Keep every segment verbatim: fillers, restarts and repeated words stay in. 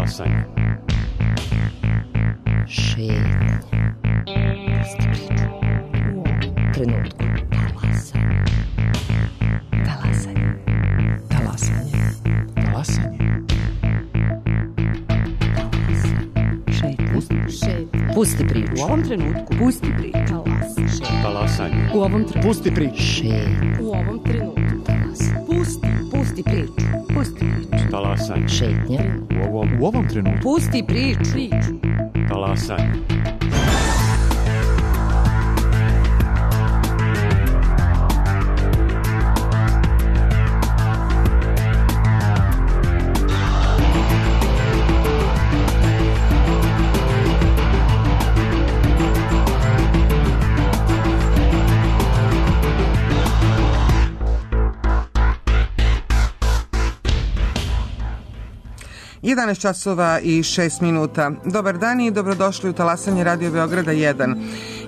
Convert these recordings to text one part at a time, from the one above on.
Talasanje. Šetnje. Pusti priču. U ovom trenutku. Talasanje. Talasanje. Talasanje. Talasanje. Šetnje. Pusti priču. U ovom trenutku. Pusti priču. Talasanje. U ovom trenutku. Pusti priču. Šetnje. U ovom trenutku. Talasanje. Pusti. Pusti priču. Pusti priču. Talasanje. Šetnje. U ovom, U ovom trenutku. Pusti priču. Priču. talasanje. jedanaest časova i šest minuta. Dobar dan i dobrodošli u talasanje Radio Beograda jedan.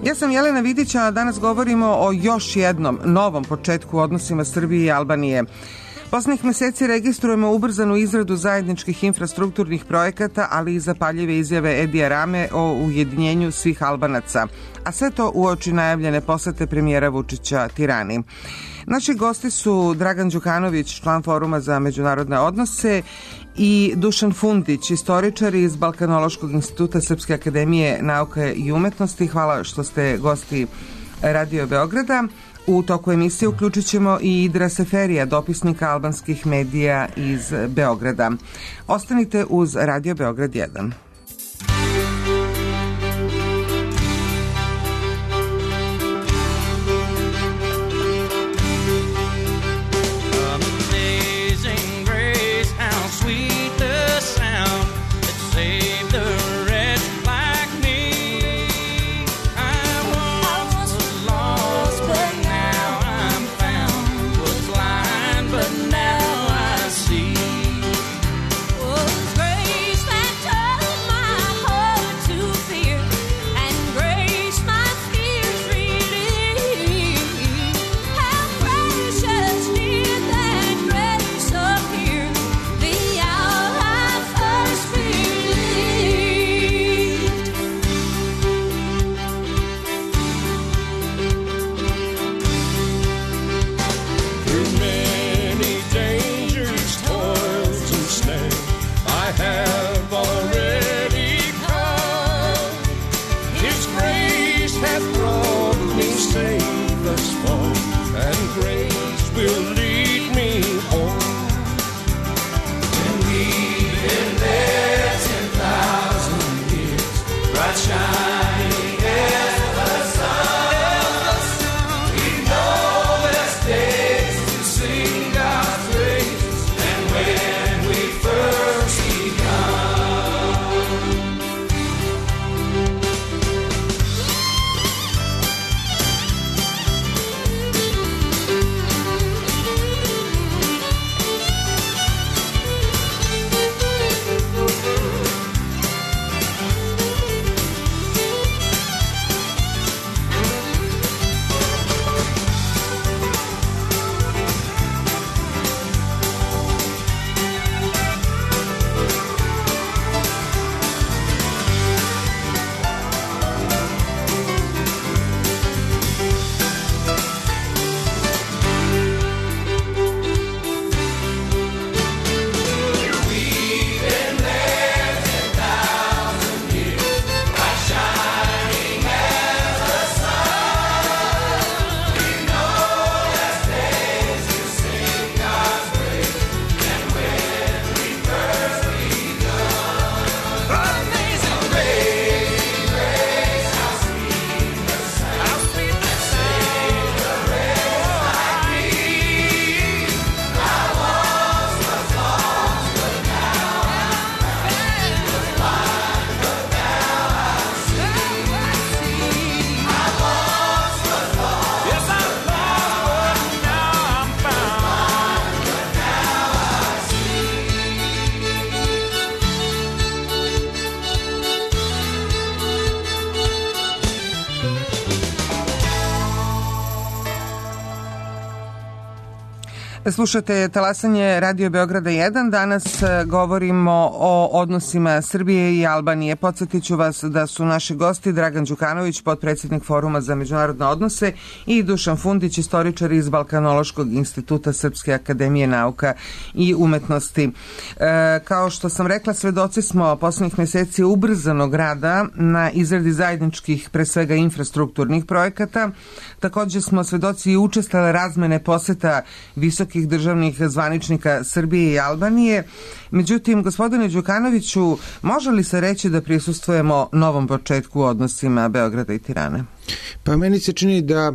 Ja sam Jelena Vidić, a danas govorimo o još jednom novom početku u odnosima Srbije i Albanije. Poslednjih meseci registrujemo ubrzanu izradu zajedničkih infrastrukturnih projekata, ali i zapaljive izjave Edija Rame o ujedinjenju svih Albanaca, a sve to uoči najavljene posete premijera Vučića Tirani. Naši gosti su Dragan Đukanović, član Foruma za međunarodne odnose, i Dušan Fundić, istoričar iz Balkanološkog instituta Srpske akademije nauka i umetnosti. Hvala što ste gosti Radio Beograda. U toku emisije uključit ćemo i Idra Seferija, dopisnika albanskih medija iz Beograda. Ostanite uz Radio Beograd jedan. Grace that turned Slušate talasanje Radio Beograda jedan. Danas govorimo o odnosima Srbije i Albanije. Podsjetit ću vas da su naši gosti Dragan Đukanović, potpredsjednik Foruma za međunarodne odnose, i Dušan Fundić, istoričar iz Balkanološkog instituta Srpske akademije nauka i umetnosti. E, kao što sam rekla, svedoci smo poslednjih meseci ubrzanog rada na izradi zajedničkih, pre svega infrastrukturnih projekata. Također smo svedoci i učestale razmene poseta visokih državnih zvaničnika Srbije i Albanije. Međutim, gospodine Đukanoviću, može li se reći da prisustvujemo novom početku u odnosima Beograda i Tirane? Pa meni se čini da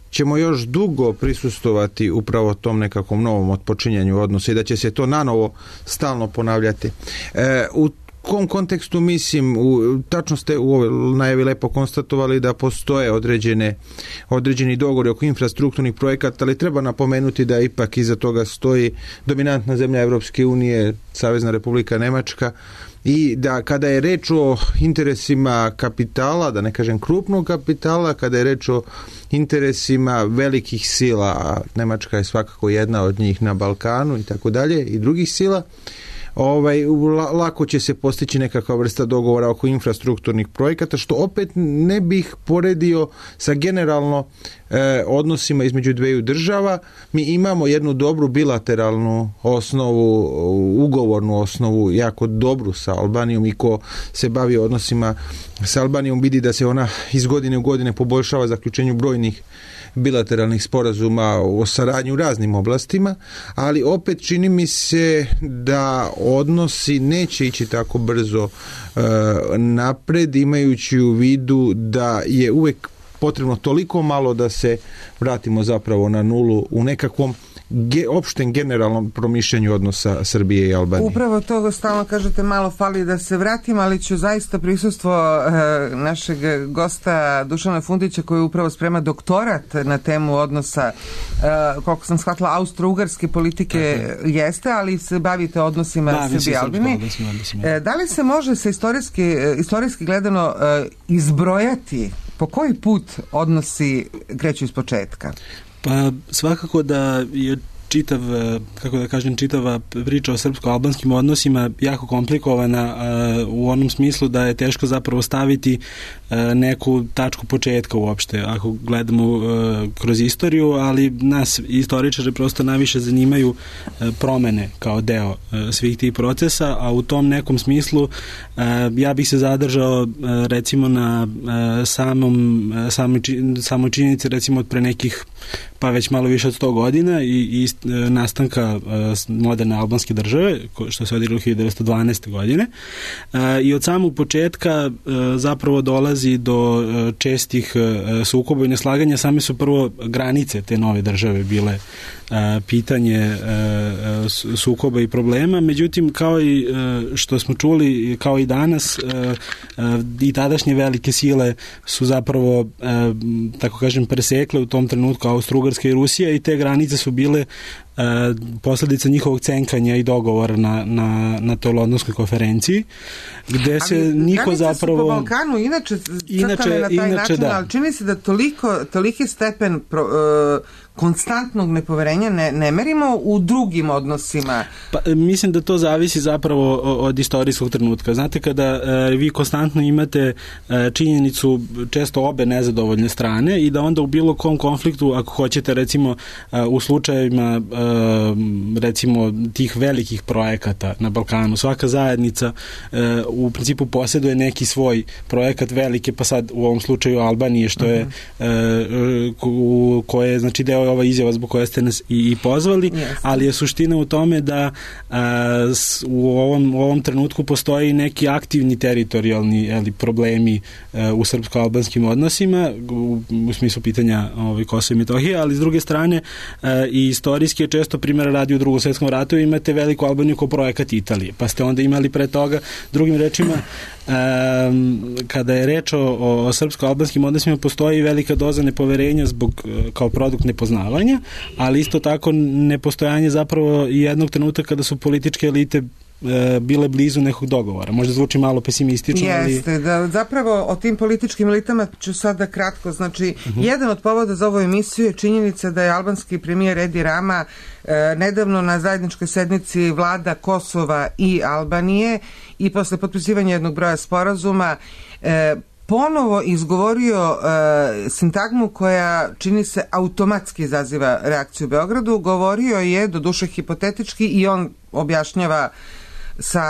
ćemo još dugo prisustovati upravo tom nekakvom novom otpočinjanju odnosa i da će se to nanovo stalno ponavljati. E, u kom kontekstu mislim, u, tačno ste u ovoj najavi lepo konstatovali da postoje određene, određeni dogovori oko infrastrukturnih projekata, ali treba napomenuti da ipak iza toga stoji dominantna zemlja Evropske unije, Savezna Republika Nemačka, i da kada je reč o interesima kapitala, da ne kažem krupnog kapitala, kada je reč o interesima velikih sila, a Nemačka je svakako jedna od njih na Balkanu i tako dalje, i drugih sila, Ovaj, lako će se postići nekakva vrsta dogovora oko infrastrukturnih projekata, što opet ne bih poredio sa generalno e, odnosima između dveju država. Mi imamo jednu dobru bilateralnu osnovu, ugovornu osnovu, jako dobru sa Albanijom, i ko se bavi odnosima sa Albanijom vidi da se ona iz godine u godine poboljšava zaključenju brojnih bilateralnih sporazuma o saradnji u raznim oblastima, ali opet čini mi se da odnosi neće ići tako brzo e, napred, imajući u vidu da je uvek potrebno toliko malo da se vratimo zapravo na nulu u nekakvom ge, opštem generalnom promišljanju odnosa Srbije i Albanije. Upravo to stalno kažete, malo fali da se vratim, ali ću zaista prisustvo e, našeg gosta Dušana Fundića, koji upravo sprema doktorat na temu odnosa, e, koliko sam shvatila, austro-ugarske politike Tako. jeste, ali se bavite odnosima da, Srbije i Albanije. E, da li se može sa istorijski, istorijski gledano e, izbrojati po koji put odnosi kreću iz početka? Pa svakako da je čitav, kako da kažem, čitava priča o srpsko-albanskim odnosima jako komplikovana u onom smislu da je teško zapravo staviti neku tačku početka uopšte, ako gledamo kroz istoriju, ali nas istoričare prosto najviše zanimaju promene kao deo svih tih procesa, a u tom nekom smislu ja bih se zadržao recimo na samom, samoj činjenici recimo od pre nekih pa već malo više od sto godina i, i nastanka moderne albanske države, što se odigralo hiljadu devetsto dvanaeste. godine. I od samog početka zapravo dolazi do čestih sukoba i neslaganja. Same su prvo granice te nove države bile pitanje sukoba i problema. Međutim, kao i što smo čuli, kao i danas, i tadašnje velike sile su zapravo, tako kažem, presekle u tom trenutku Austro-Ugarska i Rusija, i te granice su bile posledica njihovog cenkanja i dogovora na, na, na toj Londonskoj konferenciji, gde se ali, niko zapravo... su po Balkanu inače crtane na taj inače, način, da. Ali čini se da toliko, toliki stepen pro, uh, konstantnog nepoverenja ne, ne merimo u drugim odnosima. Pa, mislim da to zavisi zapravo od istorijskog trenutka. Znate, kada uh, vi konstantno imate uh, činjenicu često obe nezadovoljne strane i da onda u bilo kom konfliktu, ako hoćete recimo uh, u slučajevima uh, recimo tih velikih projekata na Balkanu, svaka zajednica uh, u principu posjeduje neki svoj projekat velike, pa sad u ovom slučaju Albanije, što je uh-huh. uh, koje je znači deo ova izjava zbog koje ste nas i, i pozvali, yes. ali je suština u tome da a, s, u, ovom, u ovom trenutku postoji neki aktivni teritorijalni ali, problemi a, u srpsko-albanskim odnosima u, u smislu pitanja ovaj, Kosova i Metohije, ali s druge strane a, i istorijski je često primjera radi u Drugom svjetskom ratu, imate veliku Albaniju kao projekat Italije, pa ste onda imali pre toga, drugim rečima, Um, kada je reč o, o, o srpsko-albanskim odnosima postoji velika doza nepoverenja zbog kao produkt nepoznavanja, ali isto tako nepostojanje zapravo jednog trenutka kada su političke elite e, bile blizu nekog dogovora. Možda zvuči malo pesimistično, ali... Jeste, da zapravo o tim političkim elitama ću sada kratko. Znači, uh-huh. jedan od povoda za ovu emisiju je činjenica da je albanski premijer Edi Rama e, nedavno na zajedničkoj sednici vlada Kosova i Albanije i posle potpisivanja jednog broja sporazuma e, ponovo izgovorio e, sintagmu koja čini se automatski izaziva reakciju u Beogradu. Govorio je, doduše hipotetički, i on objašnjava sa,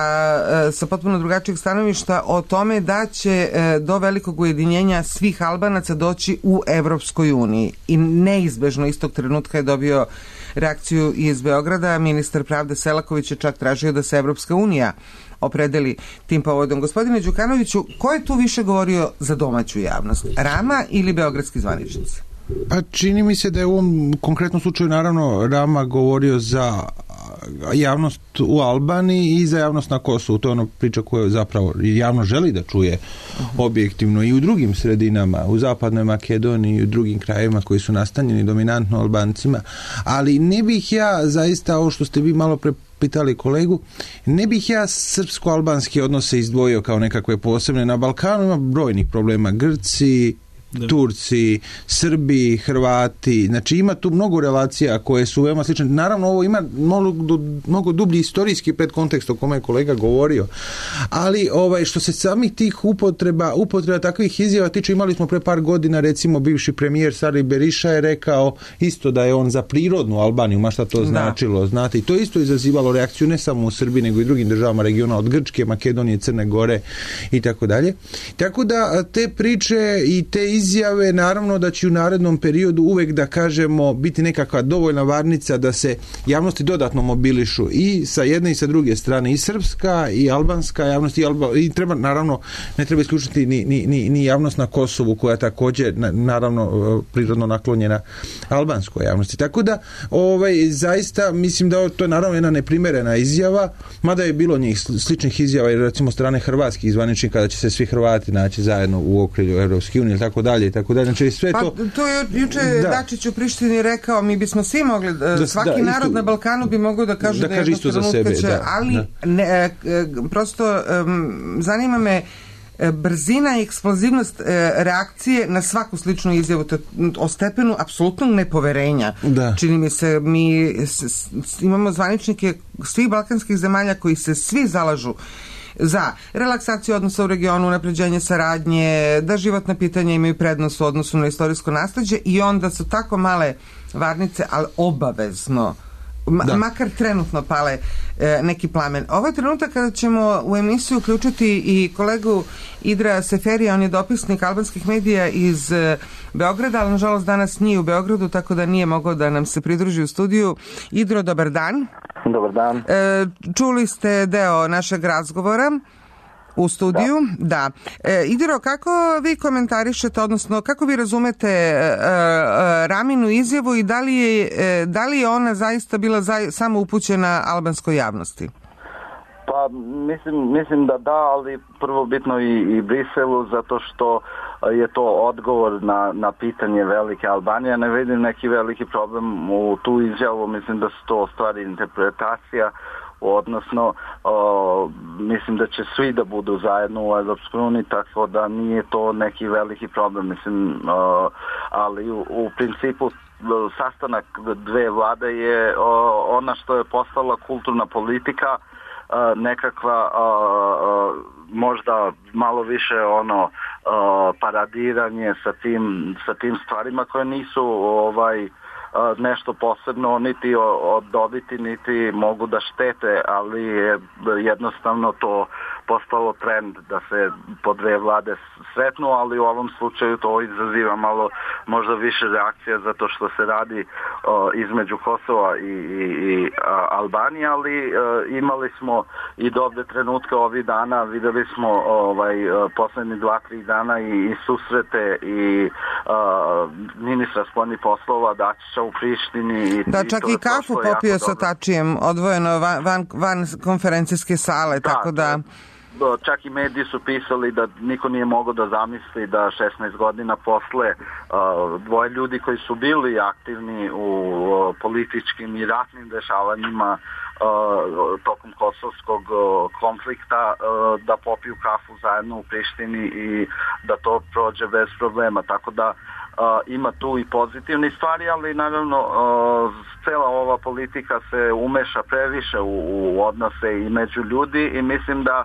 e, sa potpuno drugačijeg stanovišta o tome da će e, do velikog ujedinjenja svih Albanaca doći u Evropskoj uniji. I neizbežno istog trenutka je dobio reakciju iz Beograda. Ministar pravde Selaković je čak tražio da se Evropska unija opredeli tim povodom. Gospodine Đukanoviću, ko je tu više govorio za domaću javnost? Rama ili beogradski zvaničnici? Pa čini mi se da je u ovom konkretnom slučaju naravno Rama govorio za javnost u Albaniji i za javnost na Kosovu. To je ono priča koju zapravo javno želi da čuje objektivno i u drugim sredinama, u zapadnoj Makedoniji i u drugim krajevima koji su nastanjeni dominantno Albancima. Ali ne bih ja zaista, ovo što ste vi malo pre pitali kolegu, ne bih ja srpsko-albanski odnose izdvojio kao nekakve posebne. Na Balkanu ima brojnih problema. Grci, da. Turci, Srbi, Hrvati, znači ima tu mnogo relacija koje su veoma slične. Naravno, ovo ima mnogo, mnogo dublji istorijski predkontekst o kome je kolega govorio, ali ovaj, što se samih tih upotreba, upotreba takvih izjava tiče, imali smo pre par godina, recimo, bivši premijer Sali Beriša je rekao isto da je on za prirodnu Albaniju, ma šta to da. značilo, znate, i to isto izazivalo reakciju ne samo u Srbiji, nego i drugim državama regiona, od Grčke, Makedonije, Crne Gore i tako dalje. Tako da te priče i te izjave, naravno da će u narednom periodu uvek, da kažemo, biti nekakva dovoljna varnica da se javnosti dodatno mobilišu i sa jedne i sa druge strane, i srpska i albanska javnost, i, Alba, i treba, naravno, ne treba isključiti ni, ni, ni, ni javnost na Kosovu, koja također, na, naravno, prirodno naklonjena albanskoj javnosti. Tako da, ovaj, zaista, mislim da to je naravno jedna neprimerena izjava, mada je bilo njih sličnih izjava, jer recimo strane hrvatskih zvaničnika da će se svi Hrvati naći zajedno u okrilju Evropske unije, tako dalje i tako dalje. Znači sve pa, to... to je juče da. Dačić u Prištini rekao, mi bismo svi mogli, da, svaki da, narod isto, na Balkanu bi mogao da kaže da, da je isto za sebe, će, da, ali da. Ne, e, prosto um, zanima me brzina i eksplozivnost e, reakcije na svaku sličnu izjavu, to, o stepenu apsolutnog nepoverenja. Da. Čini mi se, mi s, s, imamo zvaničnike svih balkanskih zemalja koji se svi zalažu za relaksaciju odnosa u regionu, unapređenje saradnje, da životna pitanja imaju prednost u odnosu na istorijsko nasleđe, i onda su tako male varnice, ali obavezno Ma, makar trenutno pale e, neki plamen. Ovo je trenutak kada ćemo u emisiju uključiti i kolegu Idra Seferija, on je dopisnik albanskih medija iz e, Beograda, ali nažalost danas nije u Beogradu, tako da nije mogao da nam se pridruži u studiju. Idro, dobar dan. Dobar dan. E, čuli ste deo našeg razgovora u studiju, da. da. E, Idro, kako vi komentarišete, odnosno kako vi razumete e, e, Raminu izjavu i da li je, e, da li je ona zaista bila za, samo upućena albanskoj javnosti? Pa mislim, mislim da da, ali prvo bitno i, i Briselu, zato što je to odgovor na, na pitanje velike Albanije. Ne vidim neki veliki problem u tu izjavu, mislim da su to stvari interpretacija, odnosno o, mislim da će svi da budu zajedno u Evropskoj uniji, tako da nije to neki veliki problem, mislim, o, ali u, u principu sastanak dve vlade je o, ona što je postala kulturna politika, o, nekakva o, o, možda malo više ono o, paradiranje sa tim, sa tim stvarima koje nisu ovaj nešto posebno niti od dobiti, niti mogu da štete, ali je jednostavno to postalo trend da se po dve vlade sretnu, ali u ovom slučaju to izaziva malo možda više reakcija zato što se radi o, između Kosova i, i, i a, Albanije, ali a, imali smo i dobre trenutke ovih dana, videli smo ovaj, poslednji dva, tri dana i, i susrete i a, ministra spoljnih poslova Dačića u Prištini. I, da, čak i, i kafu popio sa Tačijem, odvojeno van, van, van konferencijske sale, da, tako da... čak i mediji su pisali da niko nije mogao da zamisli da šesnaest godina posle dvoje ljudi koji su bili aktivni u političkim i ratnim dešavanjima tokom kosovskog konflikta da popiju kafu zajedno u Prištini i da to prođe bez problema. Tako da ima tu i pozitivni stvari, ali naravno cela ova politika se umeša previše u, u odnose i među ljudi i mislim da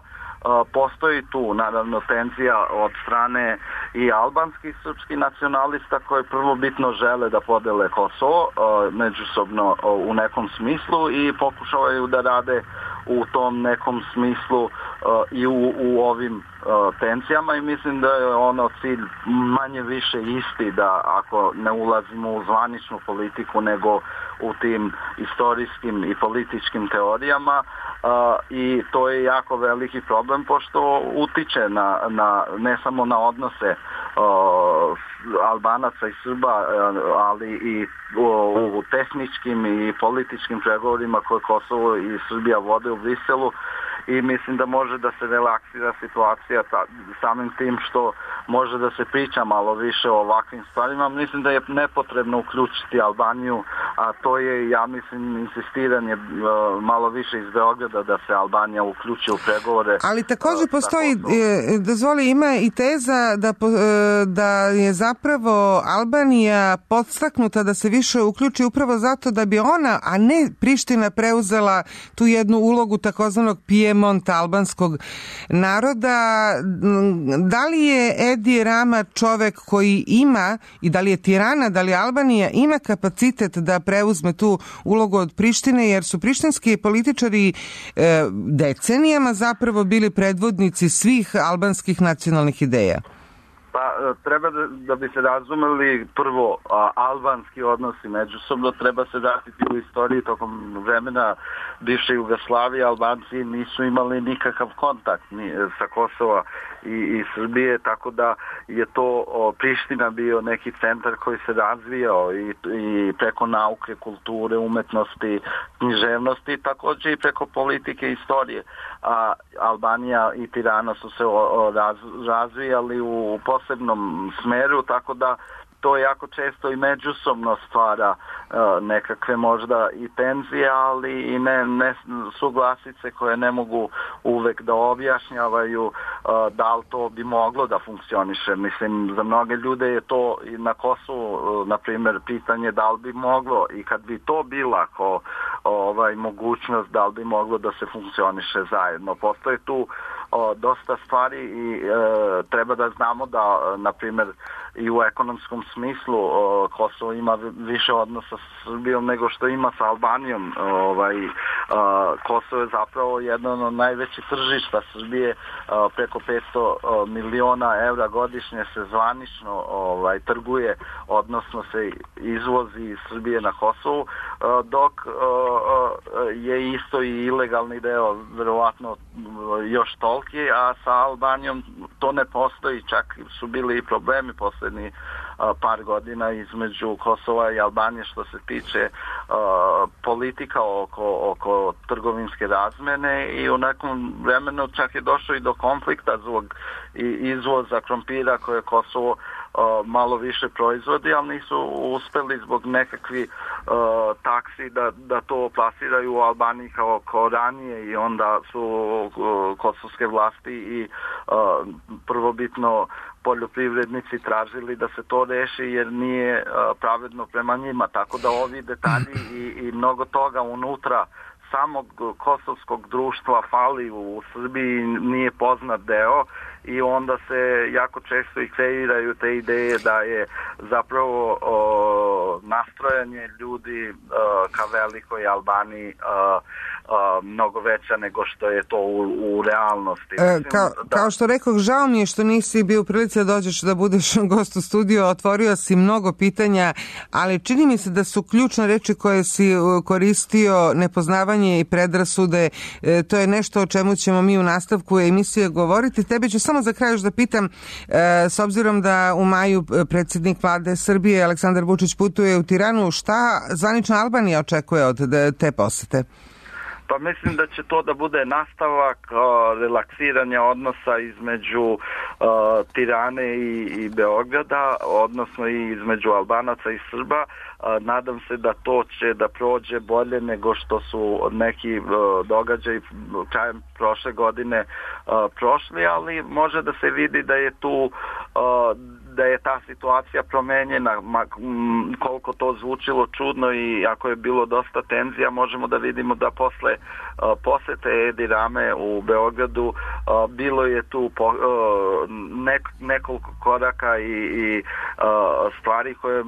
postoji tu naravno tenzija od strane i albanskih srpskih nacionalista koji prvobitno žele da podele Kosovo međusobno u nekom smislu i pokušavaju da rade u tom nekom smislu i u, u ovim tenzijama i mislim da je ono cilj manje više isti, da ako ne ulazimo u zvaničnu politiku nego u tim istorijskim i političkim teorijama i to je jako veliki problem pošto utiče na, na, ne samo na odnose Albanaca i Srba, ali i u, u tehničkim i političkim pregovorima koje Kosovo i Srbija vode u Briselu i mislim da može da se relaksira situacija samim tim što može da se priča malo više o ovakvim stvarima. Mislim da je nepotrebno uključiti Albaniju, a to je, ja mislim, insistiranje malo više iz Beograda da se Albanija uključi u pregovore. Ali također postoji, dozvoli, ima i teza da, da je zapravo Albanija podstaknuta da se više uključi upravo zato da bi ona, a ne Priština, preuzela tu jednu ulogu takozvanog Pijemonta albanskog naroda. Da li je Edi Rama čovek koji ima, i da li je Tirana, da li Albanija ima kapacitet da preuzme tu ulogu od Prištine, jer su prištinski političari e, decenijama zapravo bili predvodnici svih albanskih nacionalnih ideja? Pa treba da, da bi se razumeli prvo a, albanski odnosi međusobno, treba se vratiti u istoriji tokom vremena bivše Jugoslavije. Albanci nisu imali nikakav kontakt ni, sa Kosova i, i Srbije, tako da je to o, Priština bio neki centar koji se razvijao i, i preko nauke, kulture, umetnosti, književnosti, također i preko politike i istorije. A Albanija i Tirana su se o, o, raz, razvijali u posebnom smeru, tako da to jako često i međusobno stvara uh, nekakve možda i tenzije, ali i ne, ne suglasice koje ne mogu uvek da objašnjavaju uh, da li to bi moglo da funkcioniše. Mislim, za mnoge ljude je to i na Kosovu, uh, na primjer, pitanje da li bi moglo i kad bi to bila ko, ovaj, mogućnost da li bi moglo da se funkcioniše zajedno. Postoje tu o, dosta stvari i e, treba da znamo da, na primjer, i u ekonomskom smislu o, Kosovo ima više odnosa sa Srbijom nego što ima sa Albanijom. Ovaj, a, Kosovo je zapravo jedno od najvećih tržišta Srbije, a, preko petsto miliona evra godišnje se zvanično ovaj, trguje, odnosno se izvozi iz Srbije na Kosovu, a, dok a, a, je isto i ilegalni deo, verovatno još toliki, a sa Albanijom to ne postoji, čak su bili i problemi posljednji par godina između Kosova i Albanije što se tiče uh, politika oko, oko trgovinske razmene i u nekom vremenu čak je došlo i do konflikta zbog izvoza krompira koje Kosovo uh, malo više proizvodi, ali nisu uspeli zbog nekakvi uh, taksi da, da to plasiraju u Albaniji kao, kao ranije i onda su uh, kosovske vlasti i uh, prvobitno poljoprivrednici tražili da se to reši jer nije uh, pravedno prema njima, tako da ovi detalji i, i mnogo toga unutra samog kosovskog društva fali u Srbiji, nije poznat deo i onda se jako često i kreiraju te ideje da je zapravo o, nastrojanje ljudi o, ka velikoj Albaniji o, o, mnogo veća nego što je to u, u realnosti. E, kao, da... kao što rekoh, žao mi je što nisi bio u prilici da dođeš da budeš gost u studiju, otvorio si mnogo pitanja, ali čini mi se da su ključne reči koje si koristio nepoznavanje i predrasude, e, to je nešto o čemu ćemo mi u nastavku emisije govoriti. Tebe ću samo za kraj još da pitam, e, s obzirom da u maju predsjednik vlade Srbije Aleksandar Vučić putuje u Tiranu, šta zvanična Albanija očekuje od te posete? Pa mislim da će to da bude nastavak uh, relaksiranja odnosa između uh, Tirane i, i Beograda, odnosno i između Albanaca i Srba. Uh, nadam se da to će da prođe bolje nego što su neki uh, događaji krajem prošle godine uh, prošli, ali može da se vidi da je tu uh, da je ta situacija promenjena, koliko to zvučilo čudno i ako je bilo dosta tenzija, možemo da vidimo da posle uh, posete Edi Rame u Beogradu uh, bilo je tu po, uh, nek, nekoliko koraka i, i uh, stvari koje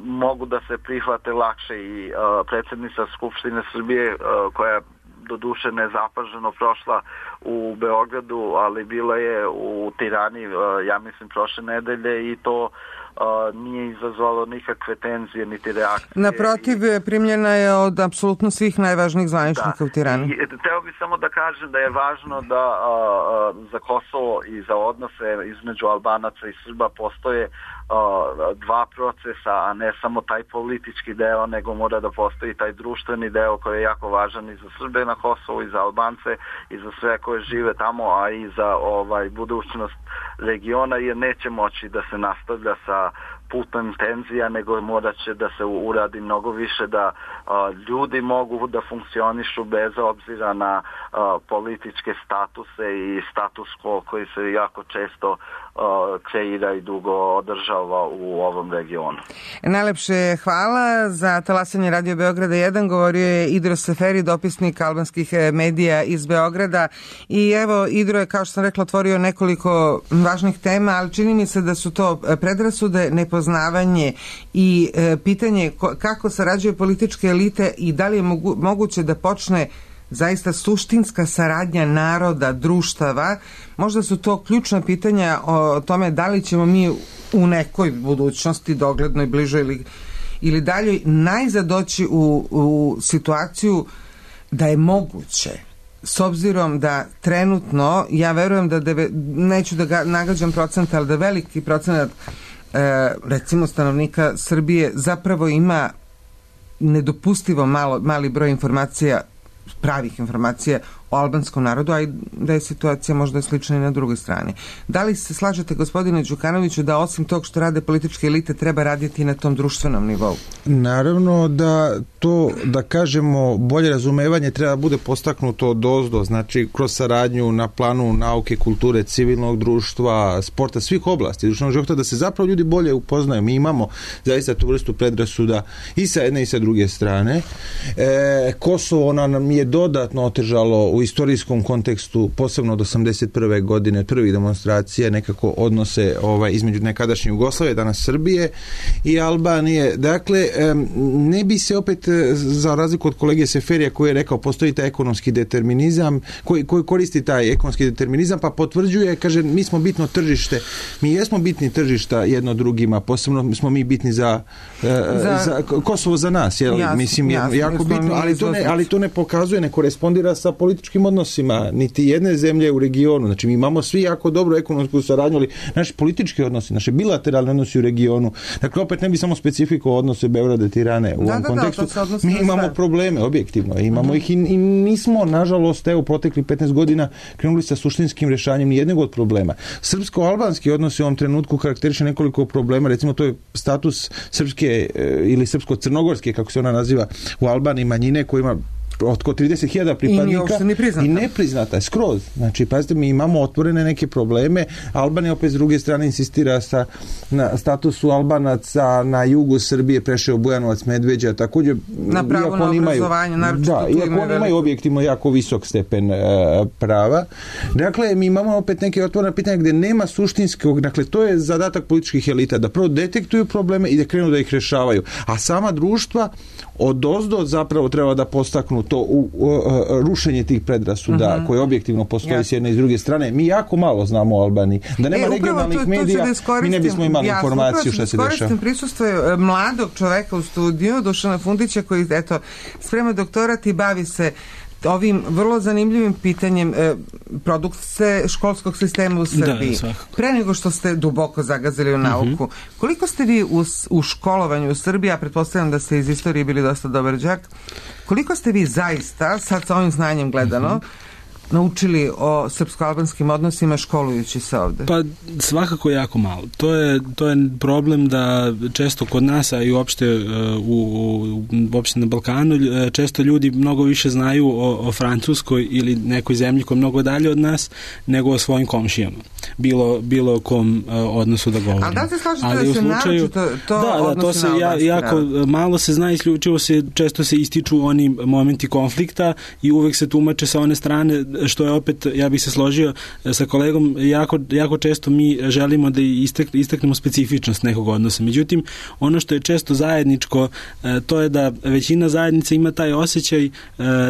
mogu da se prihvate lakše i uh, predsjednica Skupštine Srbije uh, koja doduše nezapaženo prošla u Beogradu, ali bila je u Tirani, ja mislim, prošle nedelje i to uh, nije izazvalo nikakve tenzije niti reakcije. Naprotiv, primljena je od apsolutno svih najvažnijih zvaničnika da. u Tirani. I, teo bih samo da kažem da je važno da uh, za Kosovo i za odnose između Albanaca i Srba postoje uh, dva procesa, a ne samo taj politički deo, nego mora da postoji taj društveni deo koji je jako važan i za Srbe na Kosovu i za Albance i za sve koje žive tamo, a i za ovaj budućnost regiona, jer neće moći da se nastavlja sa putem tenzija, nego morat će da se uradi mnogo više da a, ljudi mogu da funkcionišu bez obzira na a, političke statuse i status quo koji se jako često a, kreira i dugo održava u ovom regionu. Najlepše hvala. Za talasanje Radio Beograda jedan govorio je Idro Seferi, dopisnik albanskih medija iz Beograda. I evo, Idro je, kao što sam rekla, otvorio nekoliko važnih tema, ali čini mi se da su to predrasude, nepoznavanje i e, pitanje ko, kako sarađuju političke elite i da li je mogu, moguće da počne zaista suštinska saradnja naroda, društava. Možda su to ključna pitanja o tome da li ćemo mi u nekoj budućnosti, doglednoj, bližoj ili, ili daljoj, najzad doći u, u situaciju da je moguće, s obzirom da trenutno, ja verujem da, deve, neću da ga nagađam procent, ali da veliki procenat e, recimo stanovnika Srbije zapravo ima nedopustivo malo, mali broj informacija, pravih informacija o albanskom narodu, a i da je situacija možda slična i na drugoj strani. Da li se slažete, gospodine Đukanoviću, da osim tog što rade političke elite treba raditi na tom društvenom nivou? Naravno da to, da kažemo, bolje razumevanje treba bude postaknuto od ozdo, znači kroz saradnju na planu nauke, kulture, civilnog društva, sporta, svih oblasti društvenog života, da se zapravo ljudi bolje upoznaju. Mi imamo zaista tu vrstu predrasuda i sa jedne i sa druge strane. E, Kosovo nam je dodatno otežalo u istorijskom kontekstu, posebno od osamdeset prve godine, prvih demonstracija, nekako odnose ovaj, između nekadašnje Jugoslavije, danas Srbije i Albanije. Dakle, ne bi se opet, za razliku od kolege Seferija koji je rekao, postoji taj ekonomski determinizam, koji, koji koristi taj ekonomski determinizam, pa potvrđuje, kaže, mi smo bitno tržište, mi jesmo bitni tržišta jedno drugima, posebno smo mi bitni za, za, za Kosovo za nas, jel? Jasno, mislim, jasno, jako bitno, ali to, ne, ali to ne pokazuje, ne korespondira sa političkim odnosima niti jedne zemlje u regionu. Znači, mi imamo svi jako dobru ekonomsku saradnju, ali naši politički odnosi, naše bilateralne odnosi u regionu. Dakle, opet ne bi samo specifikovao odnose Beograda i Tirane u da, ovom da, kontekstu. Da, mi imamo sve probleme, objektivno. Imamo mm-hmm. ih i, i nismo, nažalost, evo, protekli petnaest godina krenuli sa suštinskim rješavanjem nijednog od problema. Srpsko-albanski odnosi u ovom trenutku karakteriše nekoliko problema. Recimo, to je status srpske ili srpsko-crnogorske, kako se ona naziva, u Albaniji manjine koja ima oko trideset hiljada pripadnika i, i nepriznata je skroz. Znači, pazite, mi imamo otvorene neke probleme. Albanija opet s druge strane insistira sa, na statusu Albanaca na jugu Srbije, Preševo, Bujanovac, Medveđa, također, na pravo na obrazovanje, naročito da, iako oni imaju objektivno jako visok stepen uh, prava. Dakle, mi imamo opet neke otvorene pitanja gdje nema suštinskog, dakle, to je zadatak političkih elita, da prvo detektuju probleme i da krenu da ih rješavaju. A sama društva od ozdo zapravo treba da postaknu to u, u, u rušenje tih predrasuda uh-huh. koje objektivno postoji ja. s jedne i s druge strane. Mi jako malo znamo o Albaniji. Da nema e, regionalnih to, to medija, da mi ne bismo imali ja, informaciju što se dešava. Koristim prisustvo mladog čoveka u studiju, Dušana Fundića, koji eto, sprema doktorat i bavi se ovim vrlo zanimljivim pitanjem e, produkcije školskog sistema u Srbiji. Da, pre nego što ste duboko zagazili u nauku, uh-huh. koliko ste vi u, u školovanju u Srbiji, a pretpostavljam da ste iz istorije bili dosta dobar đak, Koliko ste vi zaista, sad sa ovim znanjem gledano, naučili o srpsko-albanskim odnosima školujući se ovde? Pa svakako jako malo. To je, to je problem da često kod nas, a i uopšte u, u, uopšte na Balkanu, često ljudi mnogo više znaju o, o Francuskoj ili nekoj zemlji koja je mnogo dalje od nas nego o svojim komšijama. Bilo, bilo o kom uh, odnosu da govorimo. Ali da li se slažete da se slučaju, to, to da, da, to se ja, jako narod. Malo se zna, isključivo se, često se ističu oni momenti konflikta i uvek se tumače sa one strane, što je opet, ja bih se složio sa kolegom, jako, jako često mi želimo da istek, isteknemo specifičnost nekog odnosa. Međutim, ono što je često zajedničko, to je da većina zajednica ima taj osjećaj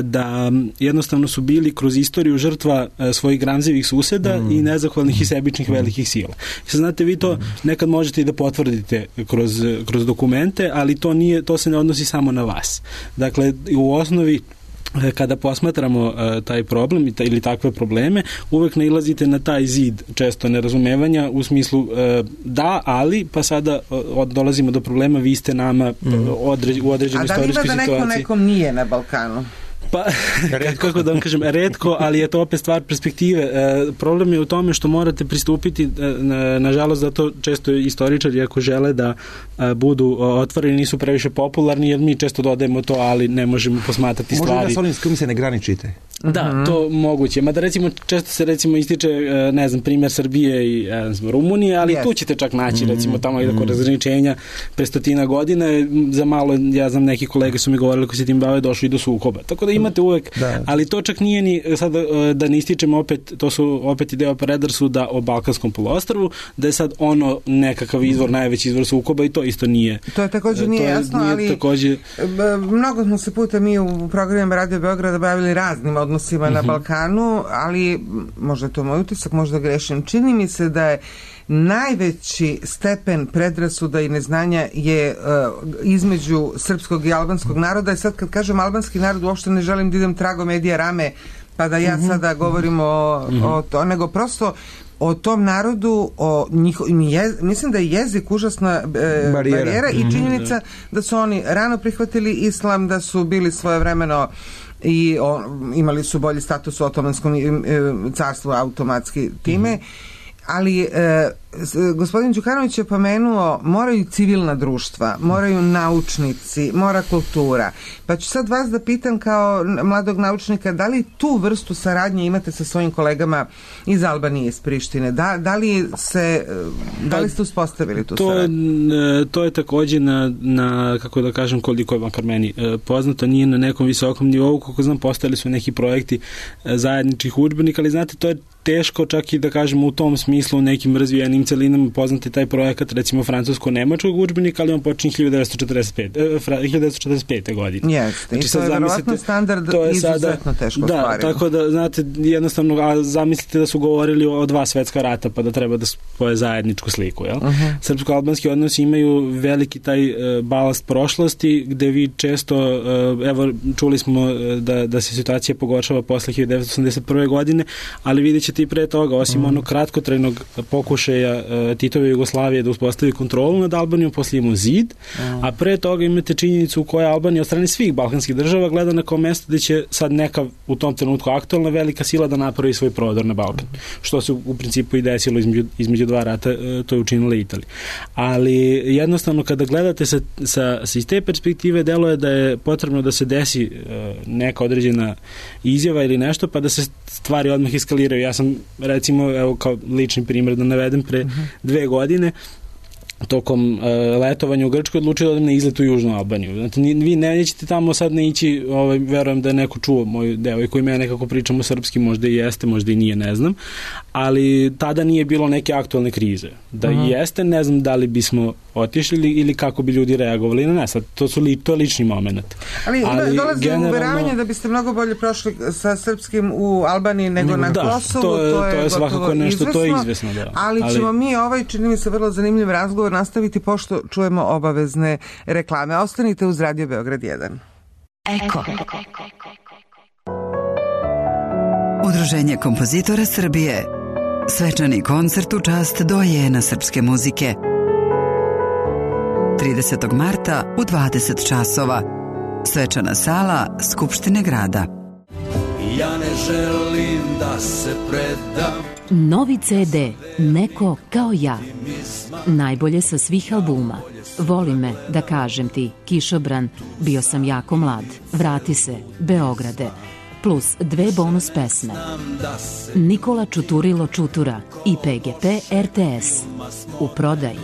da jednostavno su bili kroz istoriju žrtva svojih gramzivih suseda mm. i nezahvalnih i sebičnih mm. velikih sila. Sad, znate, vi to nekad možete i da potvrdite kroz, kroz dokumente, ali to, nije, to se ne odnosi samo na vas. Dakle, u osnovi kada posmatramo uh, taj problem i ta, ili takve probleme, uvek nailazite na taj zid često nerazumevanja u smislu uh, da, ali, pa sada uh, dolazimo do problema, vi ste nama mm. određ, u određenoj istorijskoj situaciji. A da li ima da neko nekom nije na Balkanu? Pa, kako da vam kažem, redko, ali je to opet stvar perspektive. E, problem je u tome što morate pristupiti, e, nažalost, zato često istoričari, ako žele da e, budu otvoreni, nisu previše popularni, jer mi često dodajemo to, ali ne možemo posmatrati stvari. Možda da s onim s kojim se ne graničite? Da, mm-hmm. to moguće. Mada recimo, često se recimo ističe, ne znam, primjer Srbije i ne znam, Rumunije, ali yes. tu ćete čak naći, mm-hmm. recimo, tamo mm-hmm. i razgraničenja pre stotina godina. Za malo, ja znam, neki kolege su mi govorili koji se tim bave, došli do sukoba. Tako da imate uvek, da. Ali to čak nije ni, sad da ne ističemo opet, to su opet ideja predrasuda o Balkanskom poluostrvu, da je sad ono nekakav izvor, najveći izvor sukoba i to isto nije. To je također nije je, jasno, nije ali također... mnogo smo se puta mi u programima Radio Beograda bavili raznim odnosima uh-huh. na Balkanu, ali možda je to moj utisak, možda grešim. Čini mi se da je najveći stepen predrasuda i neznanja je uh, između srpskog i albanskog naroda i sad kad kažem albanski narod uopšte ne želim da idem trago medija rame pa da ja uh-huh. sada govorim o, uh-huh. o to, nego prosto o tom narodu, o njiho, je, mislim da je jezik užasna e, barijera, barijera i činjenica mm-hmm. da su oni rano prihvatili islam, da su bili svojevremeno i o, imali su bolji status u otomanskom e, carstvu automatski time, mm-hmm. ali e, gospodin Đukanović je pomenuo moraju civilna društva, moraju naučnici, mora kultura. Pa ću sad vas da pitam kao mladog naučnika, da li tu vrstu saradnje imate sa svojim kolegama iz Albanije, iz Prištine? Da, da li se da li ste uspostavili tu to, saradnju? To je također na, na kako da kažem, koliko je makar meni poznato, nije na nekom visokom nivou, koliko znam, postojali su neki projekti zajedničkih udžbenika, ali znate, to je teško čak i da kažemo u tom smislu u nekim razvijenim celinama poznati taj projekat, recimo francusko-nemačkog udžbenika, ali on počinje hiljadu devetsto četrdeset pete godine. Jeste, znači, i to je verovatno standard izuzetno teško da, stvarimo. Tako da, znate, jednostavno, a zamislite da su govorili o dva svetska rata, pa da treba da spoje zajedničku sliku, jel? Uh-huh. Srpsko-albanski odnosi imaju veliki taj uh, balast prošlosti, gde vi često, uh, evo, čuli smo da, da se situacija pogoršava posle hiljadu devetsto osamdeset prve godine, ali vidjet ćete i pre toga, osim mm. onog kratkotrajnog pokušaja uh, Titove Jugoslavije da uspostavi kontrolu nad Albanijom, poslije imamo zid, mm. a pre toga imate činjenicu u kojoj Albanija od strane svih balkanskih država gleda na kao mesto gde će sad neka u tom trenutku aktualna velika sila da napravi svoj prodor na Balkan. Mm. Što se u principu i desilo između, između dva rata, uh, to je učinila Italija. Ali jednostavno kada gledate sa, sa, sa iz te perspektive, delo je da je potrebno da se desi uh, neka određena izjava ili nešto, pa da se stvari odmah eskaliraju. Ja sam, recimo, evo kao lični primjer da navedem, pre uh-huh. dve godine tokom uh, letovanja u Grčkoj odlučio da odem na izlet u Južnu Albaniju. Znači, vi ne nećete tamo sad ne ići, ovaj, verujem da je neko čuo moju devojku i me nekako pričamo srpski, možda i jeste, možda i nije, ne znam, ali tada nije bilo neke aktualne krize. Da uh-huh. jeste, ne znam da li bismo otišli ili, ili kako bi ljudi reagovali na nas. To su li, to je lični moment. Ali, ali dolazi generalno... uveravanje da biste mnogo bolje prošli sa srpskim u Albaniji nego na da, Kosovu. To je, to je, to je svakako nešto, izvesno, to je izvesno. Da. Ali, ali ćemo mi ovaj, čini mi se, vrlo zanimljiv razgovor nastaviti pošto čujemo obavezne reklame. Ostanite uz Radio Beograd jedan. Eko. Udruženje kompozitora Srbije. Svečani koncert u čast dojena srpske muzike. tridesetog marta u dvadeset časova Svečana sala Skupštine grada. Ja ne želim da se predam. Novi ce de Neko kao ja. Najbolje sa svih albuma. Voli me, da kažem ti, Kišobran, Bio sam jako mlad, Vrati se, Beograde, plus dve bonus pesme. Nikola Čuturilo Čutura i pe ge pe er te es. U prodaji.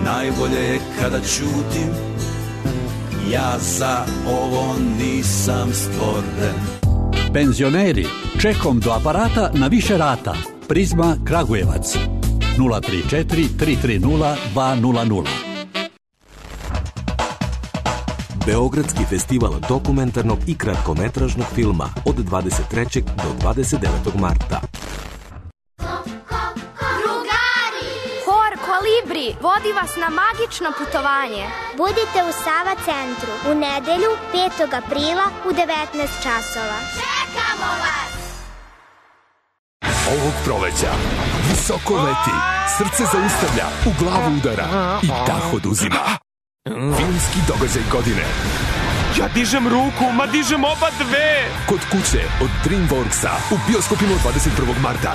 Najbolje je kada ćutim, ja za ovo nisam stvoren. Penzioneri, čekom do aparata na više rata. Prizma Kragujevac nula tri četiri tri tri nula dva nula nula. Beogradski festival dokumentarnog i kratkometražnog filma od dvadeset trećeg do dvadeset devetog marta. Hor Kolibri vodi vas na magično putovanje. Budite u Sava centru u nedelju petog aprila u devetnaest časova. Čekamo vas! Ovog proleća visoko leti, srce zaustavlja, u glavu udara i dah oduzima. Filmski događaj godine. Ja dižem ruku, ma dižem oba dve! Kod kuće od DreamWorksa u bioskopima dvadeset prvog marta.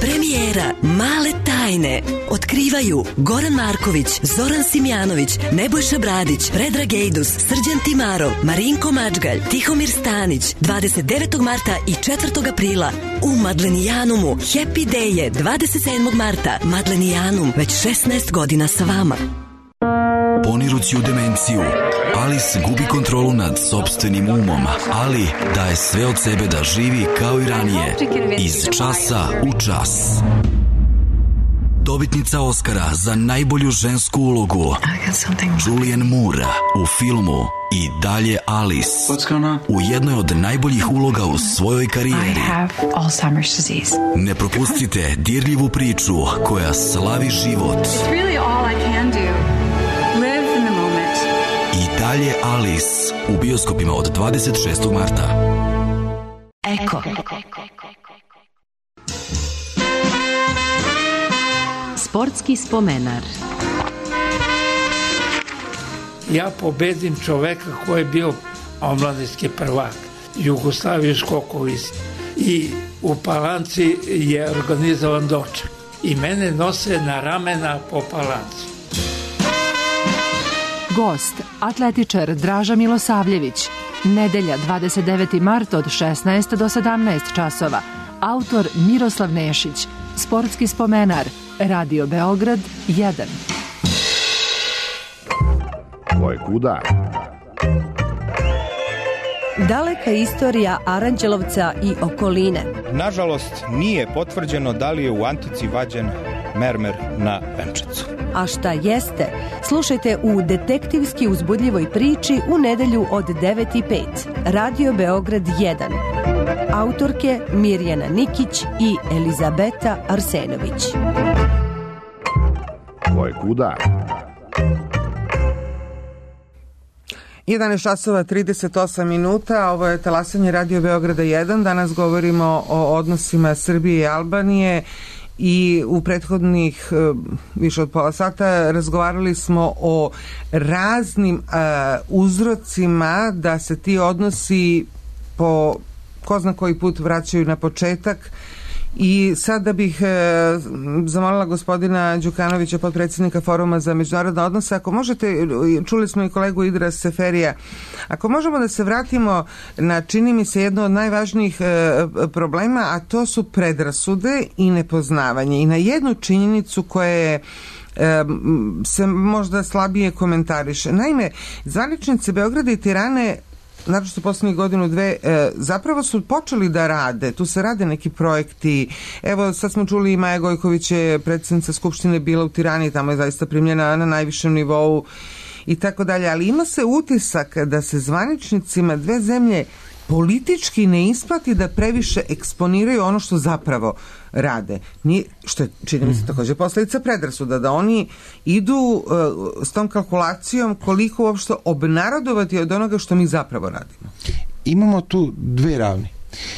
Premijera Male tajne otkrivaju Goran Marković, Zoran Simjanović, Nebojša Bradić, Predrag Ejdus, Srđan Timarov, Marinko Mačgalj, Tihomir Stanić, dvadeset devetog marta i četvrtog aprila u Madlenijanumu. Happy Day je dvadeset sedmog marta. Madlenijanum, već šesnaest godina sa vama. Ponirući u demenciju, Alice gubi kontrolu nad sopstvenim umom, ali daje sve od sebe da živi kao i ranije, iz časa u čas. Dobitnica Oscara za najbolju žensku ulogu Julianne Moore u filmu I dalje Alice, u jednoj od najboljih uloga u svojoj karijeri. Ne propustite dirljivu priču koja slavi život. I dalje Alice u bioskopima od dvadeset šestog marta. Eko. Sportski spomenar. Ja pobedim čoveka koji je bio omladinski prvak, Jugoslaviju skokovic, i u Palanci je organizovan doček i mene nose na ramena po Palanci. Gost, atletičar Draža Milosavljević. Nedelja dvadeset deveti mart od šesnaest do sedamnaest časova. Autor Miroslav Nešić. Sportski spomenar. Radio Beograd jedan. Ko je kuda? Daleka istorija Aranđelovca i okoline. Nažalost, nije potvrđeno da li je u antici vađen mermer na venčacu. A šta jeste? Slušajte u detektivski uzbudljivoj priči u nedelju od devet i pet. Radio Beograd jedan. Autorke Mirjana Nikić i Elizabeta Arsenović. Ko je kuda? jedanaest časova trideset osam minuta, ovo je talasanje Radio Beograda jedan. Danas govorimo o odnosima Srbije i Albanije i u prethodnih uh, više od pola sata razgovarali smo o raznim uh, uzrocima da se ti odnosi po ko zna koji put vraćaju na početak. I sada bih e, zamolila gospodina Đukanovića, potpredsjednika Foruma za međunarodne odnose, ako možete, čuli smo i kolegu Idra Seferija, ako možemo da se vratimo na, čini mi se, jedno od najvažnijih e, problema, a to su predrasude i nepoznavanje, i na jednu činjenicu koja je e, se možda slabije komentariše. Naime, zvaničnice Beograda i Tirane, naročito poslednjih godinu dve, e, zapravo su počeli da rade, tu se rade neki projekti. Evo, sad smo čuli, Maja Gojković je predsjednica Skupštine bila u Tirani, tamo je zaista primljena na najvišem nivou i tako dalje, ali ima se utisak da se zvaničnicima dve zemlje politički ne isplati da previše eksponiraju ono što zapravo rade. Ni, što je, čini mi se, također posljedica predrasuda, da oni idu uh, s tom kalkulacijom koliko uopšte obnarodovati od onoga što mi zapravo radimo. Imamo tu dve ravni.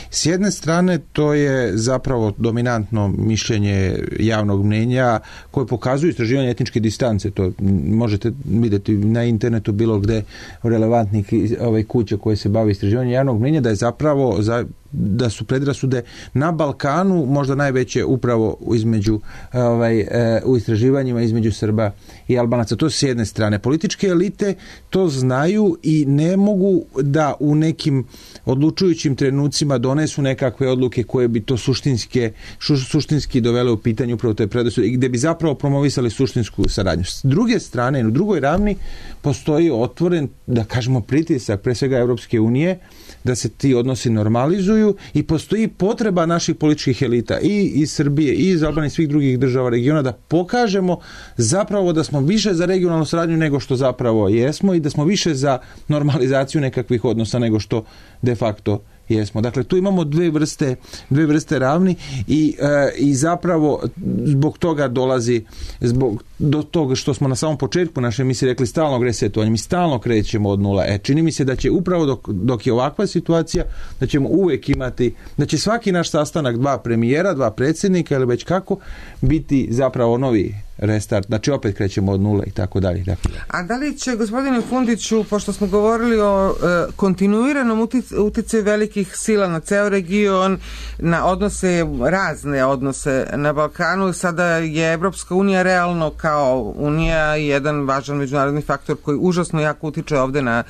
S jedne strane to je zapravo dominantno mišljenje javnog mnjenja koje pokazuju istraživanje etničke distance. To možete vidjeti na internetu bilo gde relevantnih ovaj, kuća koje se bave istraživanjem javnog mnjenja, da je zapravo za, da su predrasude na Balkanu možda najveće upravo između ovaj, u istraživanjima između Srba i Albanaca. To s jedne strane. Političke elite to znaju i ne mogu da u nekim odlučujućim trenucima donesu nekakve odluke koje bi to suštinske, šu, suštinski dovele u pitanje upravo te predrasude i gde bi zapravo promovisali suštinsku saradnju. S druge strane, u drugoj ravni postoji otvoren, da kažemo, pritisak pre svega Evropske unije da se ti odnosi normalizuju i postoji potreba naših političkih elita i iz Srbije i iz Albanije i svih drugih država regiona da pokažemo zapravo da smo više za regionalnu saradnju nego što zapravo jesmo i da smo više za normalizaciju nekakvih odnosa nego što de facto jesmo. Dakle, tu imamo dve vrste, dve vrste ravni i, e, i zapravo zbog toga dolazi zbog do toga što smo na samom početku naše emisije rekli stalnog resetovanja, mi stalno krećemo od nula. E, čini mi se da će upravo dok, dok je ovakva situacija, da ćemo uvek imati, da će svaki naš sastanak dva premijera, dva predsjednika ili već kako, biti zapravo novi restart, znači opet krećemo od nula i tako dalje. A da li će, gospodine Fundiću, pošto smo govorili o e, kontinuiranom uticaju velikih sila na ceo region, na odnose, razne odnose na Balkanu, sada je Evropska unija realno kao unija jedan važan međunarodni faktor koji užasno jako utiče ovde na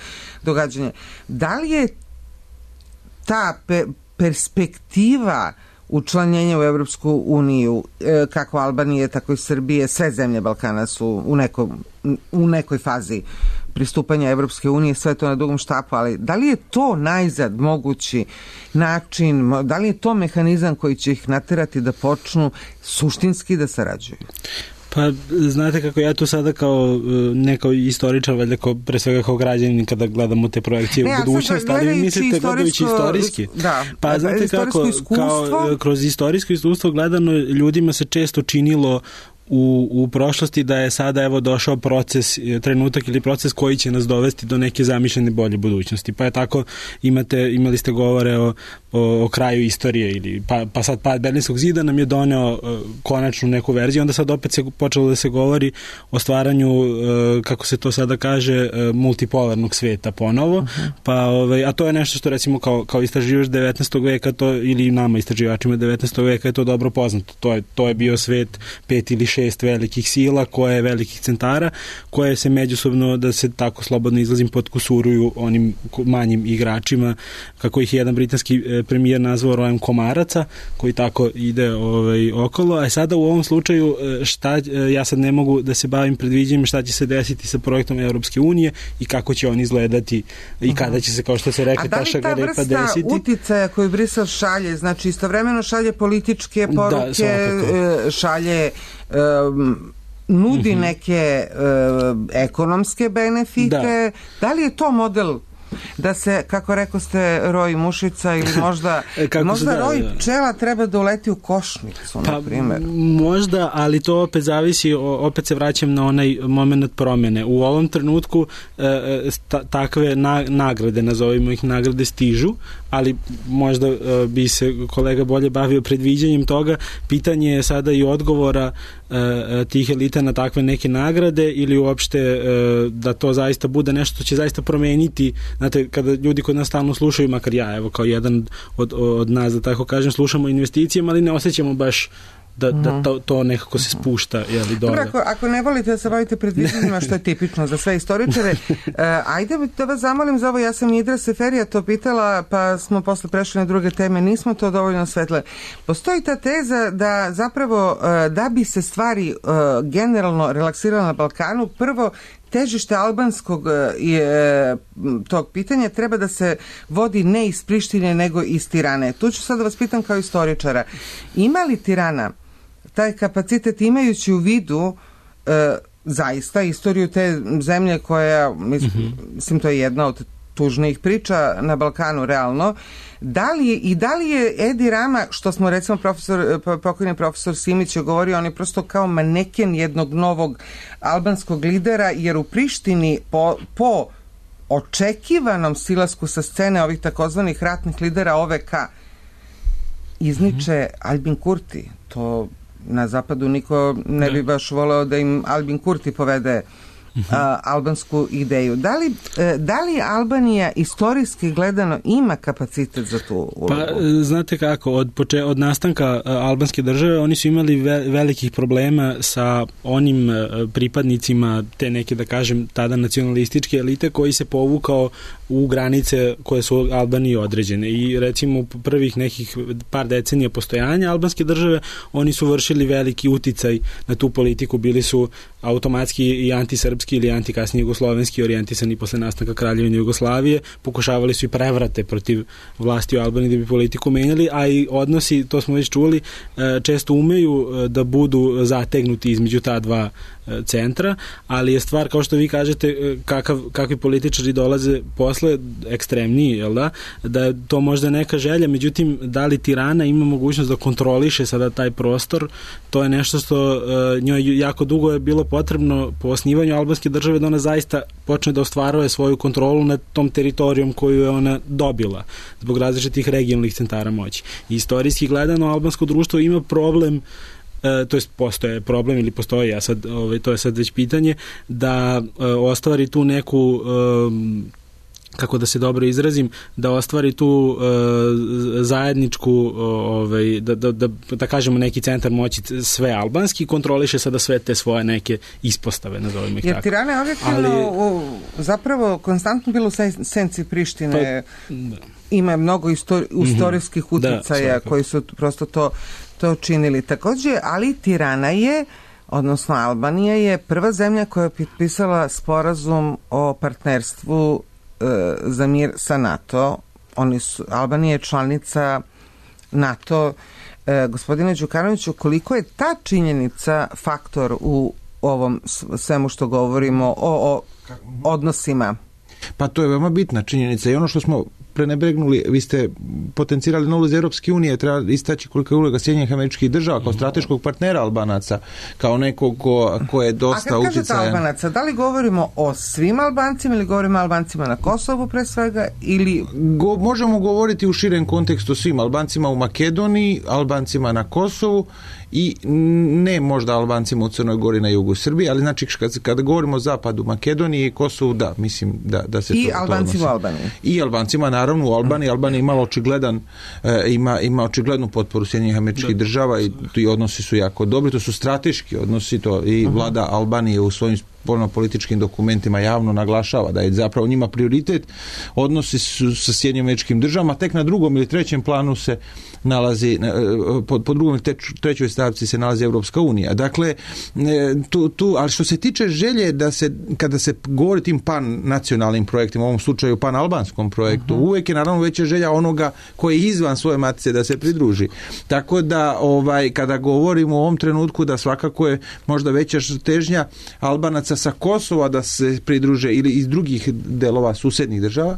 događanje. Da li je ta pe, perspektiva učlanjenja u Evropsku uniju, kako Albanije, tako i Srbije, sve zemlje Balkana su u, neko, u nekoj fazi pristupanja Evropske unije, sve to na dugom štapu, ali da li je to najzad mogući način, da li je to mehanizam koji će ih naterati da počnu suštinski da sarađuju? Pa, znate kako ja tu sada kao ne kao istoričar, valjda kao, pre svega kao građanin kada gledamo te projekcije ne, u budućnost, ali vi mislite gledajući istorijski. Da, pa znate kako, kao, kroz istorijsko iskustvo gledano ljudima se često činilo u, u prošlosti da je sada evo došao proces, trenutak ili proces koji će nas dovesti do neke zamišljene bolje budućnosti. Pa je tako, imate, imali ste govore o, o, o kraju istorije ili pa, pa sad pad Berlinskog zida nam je doneo uh, konačnu neku verziju, onda sad opet se počelo da se govori o stvaranju, uh, kako se to sada kaže, uh, multipolarnog sveta ponovo, uh-huh. pa, ovaj, a to je nešto što recimo kao, kao istraživač devetnaestog veka to, ili nama istraživačima devetnaestog veka je to dobro poznato. To je, to je bio svet pet ili šest velikih sila, koje velikih centara, koje se međusobno, da se tako slobodno izlazim, podkusuruju onim manjim igračima, kako ih je jedan britanski premijer nazvao rojem komaraca, koji tako ide ovaj, okolo. A sada u ovom slučaju šta, ja sad ne mogu da se bavim predviđanjem šta će se desiti sa projektom Evropske unije i kako će on izgledati i kada će se, kao što se rekli, ta šagarepa desiti. A da li ta vrsta uticaja koju Brisel šalje, znači istovremeno šalje političke poruke, da, šalje Um, nudi uh-huh. neke uh, ekonomske benefite, da. da li je to model da se, kako rekao ste, roj mušica ili možda, možda da, roj pčela treba da uleti u košnicu, pa, na primjer? Možda, ali to opet zavisi, opet se vraćam na onaj moment promene. U ovom trenutku e, ta, takve na, nagrade, nazovimo ih nagrade, stižu, ali možda e, bi se kolega bolje bavio predviđanjem toga. Pitanje je sada i odgovora e, tih elita na takve neke nagrade ili uopšte e, da to zaista bude nešto što će zaista promeniti. Znate, kada ljudi kod nas stalno slušaju, makar ja, evo, kao jedan od, od nas, da tako kažem, slušamo investicijama, ali ne osjećamo baš da, mm-hmm. da to, to nekako se spušta, jeli, dole. Dobro, ako, ako ne volite da se bavite predviđanjima, što je tipično za sve istoričare, uh, ajde da vas zamolim za ovo, ja sam Nidra Seferija to pitala, pa smo posle prešli na druge teme, nismo to dovoljno svetle. Postoji ta teza da zapravo, uh, da bi se stvari uh, generalno relaksirale na Balkanu, prvo težište albanskog je, tog pitanja treba da se vodi ne iz Prištine nego iz Tirane. Tu ću sad da vas pitam kao istoričara. Ima li Tirana taj kapacitet, imajući u vidu e, zaista istoriju te zemlje koja, mislim, mm-hmm. mislim to je jedna od tužnijih priča na Balkanu realno, da li je, i da li je Edi Rama, što smo recimo profesor, pokojni profesor Simić je govorio, on je prosto kao maneken jednog novog albanskog lidera, jer u Prištini po, po očekivanom silasku sa scene ovih takozvanih ratnih lidera O V K izniče mm-hmm. Albin Kurti. To na zapadu niko ne bi baš voleo da im Albin Kurti povede Uh, albansku ideju. Da li, uh, da li Albanija istorijski gledano ima kapacitet za tu ulogu? Pa, znate kako, od, poče, od nastanka uh, albanske države oni su imali ve, velikih problema sa onim uh, pripadnicima te neke, da kažem, tada nacionalističke elite koji se povukao u granice koje su Albaniji određene i recimo u prvih nekih par decenija postojanja albanske države oni su vršili veliki uticaj na tu politiku, bili su automatski i antisrpski ili antikasni jugoslovenski orijentisani posle nastanka Kraljevine Jugoslavije, pokušavali su i prevrate protiv vlasti u Albaniji da bi politiku menjali, a i odnosi, to smo već čuli, često umeju da budu zategnuti između ta dva centra, ali je stvar, kao što vi kažete, kakav, kakvi političari dolaze posle ekstremniji, jel da? Da je to možda neka želja, međutim, da li Tirana ima mogućnost da kontroliše sada taj prostor, to je nešto što uh, njoj jako dugo je bilo potrebno po osnivanju albanske države da ona zaista počne da ostvaruje svoju kontrolu nad tom teritorijom koju je ona dobila zbog različitih regionalnih centara moći. I istorijski gledano, albansko društvo ima problem E, to jest postoje problem ili postoji, ja sad, ovaj, to je sad već pitanje, da e, ostvari tu neku e, kako da se dobro izrazim, da ostvari tu e, zajedničku ovaj, da, da, da, da kažemo neki centar moći sve albanski, kontroliše sada sve te svoje neke ispostave, nazovimo ih jer tako. Jer Tirana je objektivno ali, zapravo konstantno bilo u senci Prištine, pa, ima mnogo istori, istorijskih mm-hmm, uticaja da, koji su prosto to to činili. Također, ali Tirana je, odnosno Albanija je prva zemlja koja je potpisala sporazum o partnerstvu e, za mir sa NATO. Oni su, Albanija je članica NATO. E, gospodine Đukanoviću, koliko je ta činjenica faktor u ovom svemu što govorimo o, o odnosima? Pa to je veoma bitna činjenica i ono što smo prenebregnuli, vi ste potencirali na ulozi Europske unije, treba istaći kolika je uloga Sjedinjenih Američkih Država kao strateškog partnera Albanaca, kao nekog ko, ko je dosta uticajan. A kad kažete Albanaca, da li govorimo o svim Albancima ili govorimo o Albancima na Kosovu pre svega ili... Go, možemo govoriti u širem kontekstu svim Albancima u Makedoniji, Albancima na Kosovu i ne možda Albancima u Crnoj Gori na jugu Srbije, ali znači kad, kada govorimo o zapadu Makedoniji i Kosovu, da, mislim da, da se I to... I Albancima u Albaniji. I Albancima, naravno, u Albaniji. Albanija ima očigledan, e, ima, ima očiglednu potporu Sjedinjenih Američkih Država i ti odnosi su jako dobri, to su strateški odnosi, to i vlada Albanije u svojim političkim dokumentima javno naglašava da je zapravo njima prioritet odnosi su sa Sjedinjenim Američkim Državama, tek na drugom ili trećem planu se nalazi, po, po drugom ili trećoj stavci se nalazi Europska unija. Dakle, tu, tu, ali što se tiče želje da se, kada se govori tim pan nacionalnim projektima, u ovom slučaju pan albanskom projektu, uh-huh. uvijek je naravno veća želja onoga koji je izvan svoje matice da se pridruži. Tako da, ovaj, kada govorimo u ovom trenutku da svakako je možda veća težnja Albanaca sa Kosova da se pridruže ili iz drugih delova susednih država,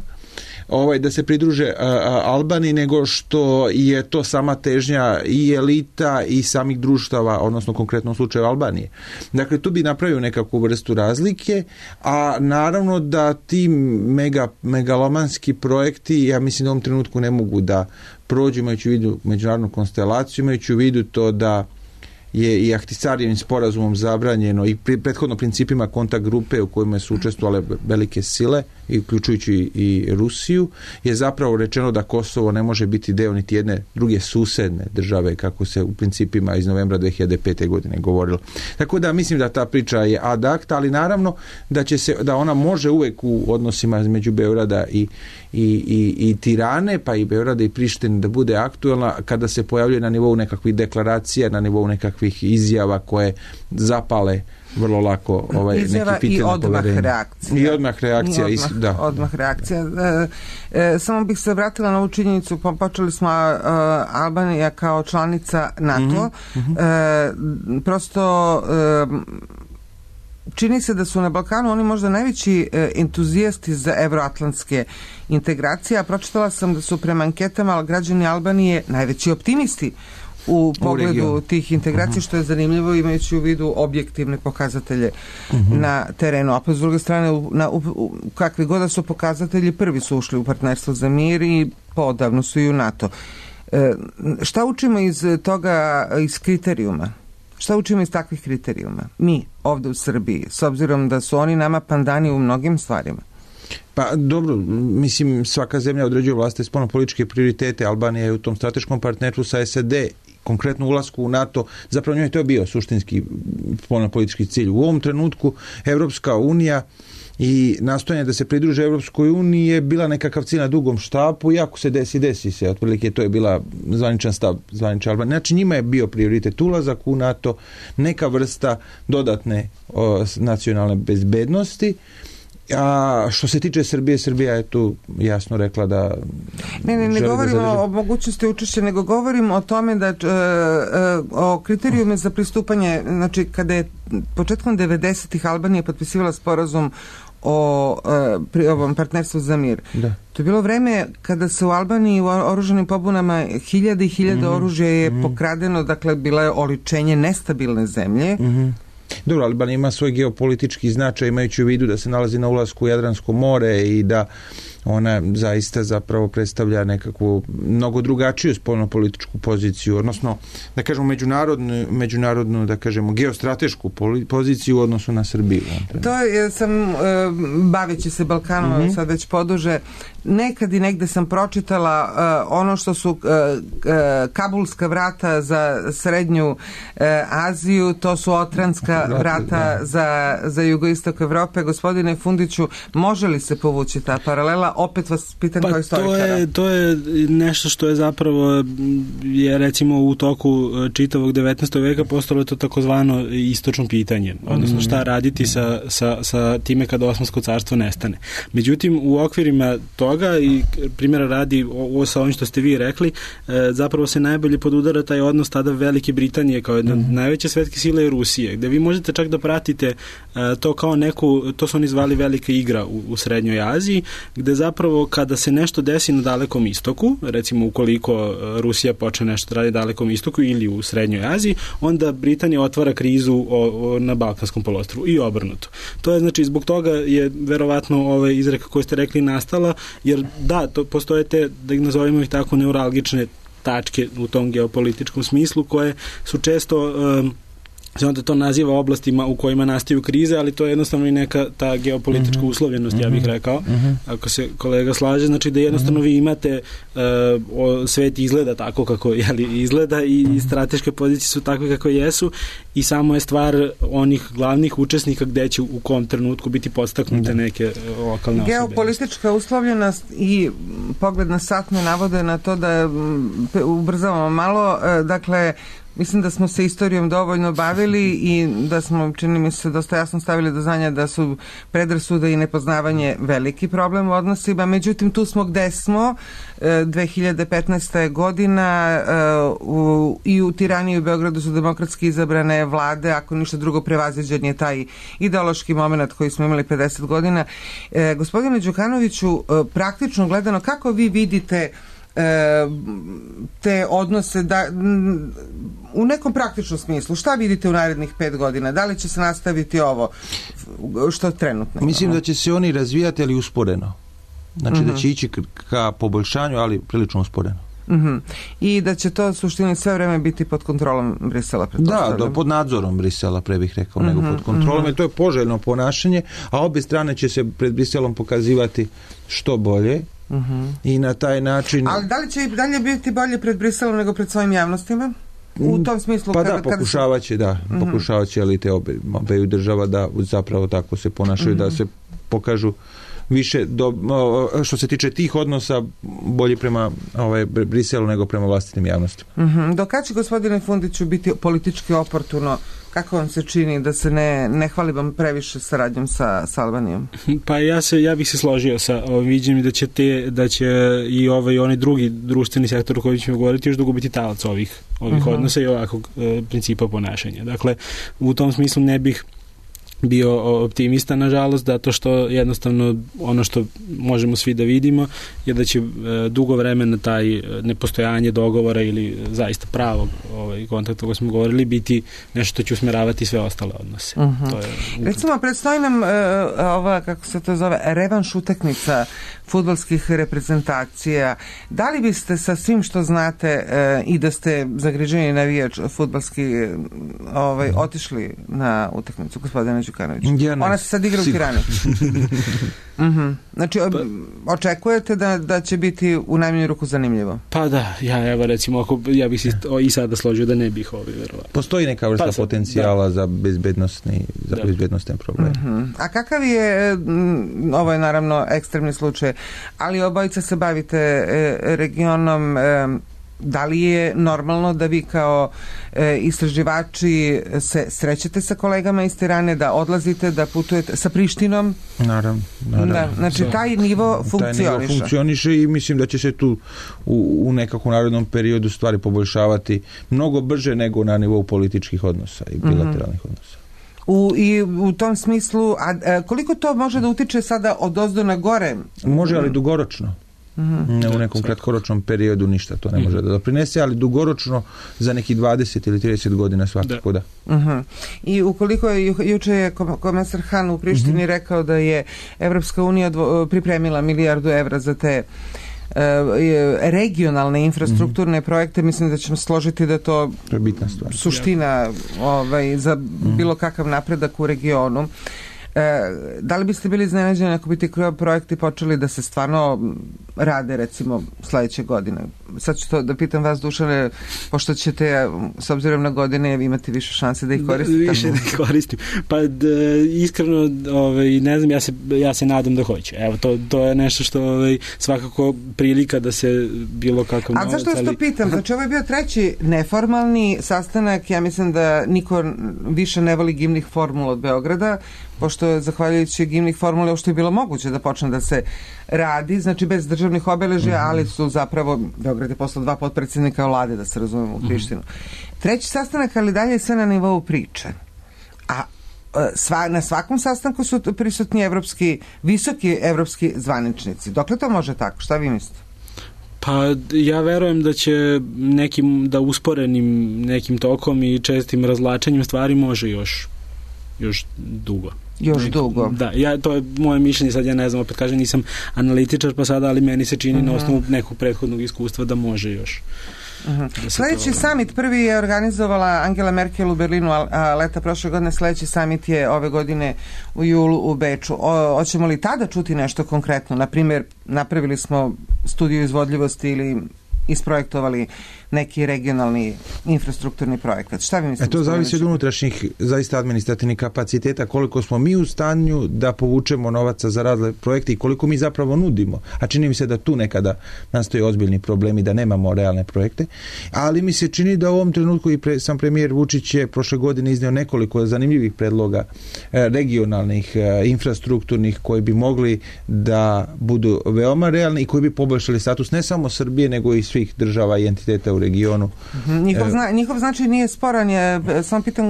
ovaj, da se pridruže a, a, Albaniji, nego što je to sama težnja i elita i samih društava, odnosno konkretno u slučaju Albanije. Dakle, tu bi napravio nekakvu vrstu razlike, a naravno da ti mega, megalomanski projekti, ja mislim da u ovom trenutku ne mogu da prođu, imajući u vidu međunarodnu konstelaciju, imajući u vidu to da je i Ahtisarijevim sporazumom zabranjeno i pri, prethodno principima kontakt grupe u kojima su učestvovale velike sile, uključujući i Rusiju, je zapravo rečeno da Kosovo ne može biti deo niti jedne druge susedne države, kako se u principima iz novembra dve hiljade pete. godine govorilo. Tako da mislim da ta priča je ad acta, ali naravno da će se, da ona može uvek u odnosima između Beograda i, i, i, i Tirane, pa i Beograda i Prištine da bude aktualna kada se pojavljuje na nivou nekakvih deklaracija, na nivou nekakvih izjava koje zapale vrlo lako ovaj, izjava neki pitanje i odmah reakcija. I odmah reakcija. I odmah, is, da. odmah reakcija. E, e, samo bih se vratila na ovu činjenicu, po, počeli smo uh, Albanija kao članica NATO. Mm-hmm. E, prosto e, čini se da su na Balkanu oni možda najveći e, entuzijasti za evroatlantske integracije, a pročitala sam da su prema anketama građani Albanije najveći optimisti u pogledu u tih integracija, uh-huh. što je zanimljivo imajući u vidu objektivne pokazatelje uh-huh. na terenu. A pa s druge strane, u, na, u, u, kakvi god da su pokazatelji, prvi su ušli u partnerstvo za mir i podavno su i u NATO. E, šta učimo iz toga, iz kriterijuma? Šta učimo iz takvih kriterijuma? Mi, ovde u Srbiji, s obzirom da su oni nama pandani u mnogim stvarima. Pa dobro, mislim, svaka zemlja određuje vlastite spoljnopolitičke prioritete. Albanija je u tom strateškom partnerstvu sa S A D, konkretno ulasku u NATO, zapravo njoj to je bio suštinski spoljnopolitički cilj. U ovom trenutku Evropska unija i nastojanje da se pridruže Evropskoj uniji je bila nekakav cilj na dugom štapu i ako se desi, desi se. Otprilike to je bila zvaničan stav zvanične Albanije. Znači njima je bio prioritet ulazak u NATO, neka vrsta dodatne o, nacionalne bezbednosti. A što se tiče Srbije, Srbija je tu jasno rekla da ne, ne, ne govorimo da o mogućnosti učešća, nego govorimo o tome da e, o kriterijume za pristupanje, znači kada je početkom devedesetih Albanija potpisivala sporazum o e, pri ovom partnerstvu za mir. Da. To je bilo vreme kada se u Albaniji u oružanim pobunama hiljade i hiljade mm-hmm. oružja je mm-hmm. pokradeno, dakle bila je oličenje nestabilne zemlje. Mm-hmm. Dobro, Albanija ima svoj geopolitički značaj imajući u vidu da se nalazi na ulasku u Jadransko more i da ona zaista zapravo predstavlja nekakvu mnogo drugačiju spoljnopolitičku poziciju, odnosno da kažemo međunarodnu, međunarodnu da kažemo geostratešku poziciju u odnosu na Srbiju. To je, sam baveći se Balkanom mm-hmm. sad već poduže, nekad i negde sam pročitala uh, ono što su uh, uh, kabulska vrata za srednju uh, Aziju, to su otranska vrata za, za jugoistok Evrope. Gospodine Fundiću, može li se povući ta paralela? Opet vas pitam pa kao istoričara. To je, to je nešto što je zapravo je recimo u toku čitavog devetnaestog veka postalo to takozvano istočno pitanje, odnosno šta raditi sa, sa, sa time kada Osmansko carstvo nestane. Međutim, u okvirima toga i primjera radi ovo sa ovim što ste vi rekli, zapravo se najbolje podudara taj odnos tada Velike Britanije kao jedna mm. najveće svetske sile i Rusije, gde vi možete čak da pratite to kao neku, to su oni zvali velika igra u, u Srednjoj Aziji, gde zapravo kada se nešto desi na Dalekom istoku, recimo ukoliko Rusija počne nešto da radi na Dalekom istoku ili u Srednjoj Aziji, onda Britanija otvara krizu o, o, na Balkanskom poluostrvu i obrnuto. To je znači zbog toga je verovatno ova izreka koju ste rekli nastala, jer da, to postoje te, da ih nazovemo ih tako, neuralgične tačke u tom geopolitičkom smislu koje su često um, se onda to naziva oblastima u kojima nastaju krize, ali to je jednostavno i neka ta geopolitička mm-hmm. uslovljenost, ja bih rekao, mm-hmm. ako se kolega slaže, znači da jednostavno vi imate uh, o, svet izgleda tako kako jeli, izgleda i, i strateške pozicije su takve kako jesu i samo je stvar onih glavnih učesnika gde će u kom trenutku biti podstaknute mm-hmm. neke lokalne osobe. Geopolitička uslovljenost i pogled na sat me navode na to da ubrzavamo malo, dakle mislim da smo se istorijom dovoljno bavili i da smo, čini mi se, dosta jasno stavili do znanja da su predrasude i nepoznavanje veliki problem u odnosima. Međutim, tu smo gde smo. dve hiljade petnaesta. godina u, i u Tirani i u Beogradu su demokratski izabrane vlade, ako ništa drugo prevaziđen je taj ideološki moment koji smo imali pedeset godina. E, gospodine Đukanoviću, praktično gledano, kako vi vidite te odnose da, u nekom praktičnom smislu, šta vidite u narednih pet godina? Da li će se nastaviti ovo što trenutno? Mislim da će se oni razvijati, ali usporeno. Znači mm-hmm. da će ići ka poboljšanju, ali prilično usporeno. Mm-hmm. I da će to suštini sve vreme biti pod kontrolom Brisela. Da, da, pod nadzorom Brisela, pre bih rekao, mm-hmm. nego pod kontrolom, mm-hmm. jer to je poželjno ponašanje, a obje strane će se pred Briselom pokazivati što bolje. Uh-huh. I na taj način... Ali da li će i dalje biti bolje pred Briselom nego pred svojim javnostima? U tom smislu... Pa kada, da, pokušavat će, da. Uh-huh. Pokušavat će elite obe, obeju država da zapravo tako se ponašaju, uh-huh. da se pokažu više, do, što se tiče tih odnosa, bolje prema ovaj, Briselu nego prema vlastitim javnostima. Uh-huh. Do kad će, gospodine Fundiću, biti politički oportuno? Kako vam se čini da se ne, ne hvali vam previše saradnjom sa, sa Albanijom? Pa ja se ja bih se složio sa ovim viđenjem da će te da će i ovaj onaj drugi društveni sektor o kojem ćemo govoriti još dugo biti talac ovih ovih uh-huh. odnosa i ovakvog e, principa ponašanja. Dakle, u tom smislu ne bih bio optimista, nažalost, zato što jednostavno ono što možemo svi da vidimo je da će e, dugo vremena taj nepostojanje dogovora ili zaista pravog ovaj, kontakta koji smo govorili biti nešto što će usmeravati sve ostale odnose. Uh-huh. To je... Recimo, predstoji nam e, ova, kako se to zove, revanš utakmica fudbalskih reprezentacija. Da li biste sa svim što znate e, i da ste zagriženi navijač fudbalski ovaj, otišli na utakmicu, gospodine Đukanović? Ja ne, ona se sad igra u Tirani. uh-huh. Znači, pa, očekujete da, da će biti u najmanju ruku zanimljivo? Pa da, ja evo recimo, ako, ja bih se i sada složio da ne bih ovaj verovatno. Postoji neka vrsta pa, potencijala da. za bezbednostni, za da. bezbednostne probleme. Uh-huh. A kakav je, m, ovo je naravno ekstremni slučaj, ali obojica se bavite e, regionom, e, da li je normalno da vi kao e, istraživači se srećete sa kolegama iz Tirane, da odlazite, da putujete sa Prištinom? Naravno. naravno. Da, znači taj nivo funkcioniše. Taj nivo funkcioniše i mislim da će se tu u, u nekakvom narodnom periodu stvari poboljšavati mnogo brže nego na nivou političkih odnosa i bilateralnih mm-hmm. odnosa. U, I u tom smislu, a, a koliko to može da utiče sada od ozdo na gore? Može, ali dugoročno. Mm-hmm. Ne, u nekom kratkoročnom periodu ništa to ne može da doprinese, ali dugoročno za neki dvadeset ili trideset godina svakako da. da. Uh-huh. I ukoliko je, ju, juče je komesar Han u Prištini mm-hmm. rekao da je Evropska unija dvo, pripremila milijardu evra za te uh, regionalne infrastrukturne mm-hmm. projekte, mislim da ćemo složiti da to, to je bitna stvar. Suština ovaj, za mm-hmm. bilo kakav napredak u regionu. E, da li biste bili iznenađeni ako bi ti projekti počeli da se stvarno rade recimo sledeće godine? Sad ću to da pitam vas, Dušane, pošto ćete s obzirom na godine imati više šanse da ih koristite. Više da ih koristim. Pa d, iskreno ovaj, ne znam, ja se, ja se nadam da hoću. Evo, to, to je nešto što ovaj, svakako prilika da se bilo kakav novac. A zašto vas to pitam? Znači ovo je bio treći neformalni sastanak, ja mislim da niko više ne voli gimnih formula od Beograda, pošto je zahvaljujući gimnih formula uopšte je bilo moguće da počne da se radi, znači bez državnih obeležja, mm-hmm. ali su zapravo Beograd je poslao dva potpredsjednika vlade, da se razumemo, u Prištinu. Mm-hmm. Treći sastanak, ali dalje je sve na nivou priče. A sva, na svakom sastanku su prisutni evropski, visoki evropski zvaničnici. Dokle to može tako? Šta vi mislite? Pa ja verujem da će nekim, da usporenim nekim tokom i čestim razlačenjem stvari može još još dugo. Još dugo. Da, ja, to je moje mišljenje, sad ja ne znam, opet kažem, nisam analitičar pa sada, ali meni se čini uh-huh. na osnovu nekog prethodnog iskustva da može još. Uh-huh. Da sledeći to... summit prvi je organizovala Angela Merkel u Berlinu, a leta prošle godine, sledeći summit je ove godine u julu u Beču. O, hoćemo li tada čuti nešto konkretno? Naprimjer, napravili smo studiju izvodljivosti ili isprojektovali neki regionalni infrastrukturni projekat. Šta vi mislite? E to zavisi od unutrašnjih zaista administrativnih kapaciteta, koliko smo mi u stanju da povučemo novaca za razne projekte i koliko mi zapravo nudimo. A čini mi se da tu nekada nastoje ozbiljni problemi, da nemamo realne projekte. Ali mi se čini da u ovom trenutku i pre, sam premijer Vučić je prošle godine izneo nekoliko zanimljivih predloga e, regionalnih, e, infrastrukturnih koji bi mogli da budu veoma realni i koji bi poboljšali status ne samo Srbije, nego i svih država i entiteta u regionu. Njihov, zna, njihov značaj nije sporan, je, sam pitam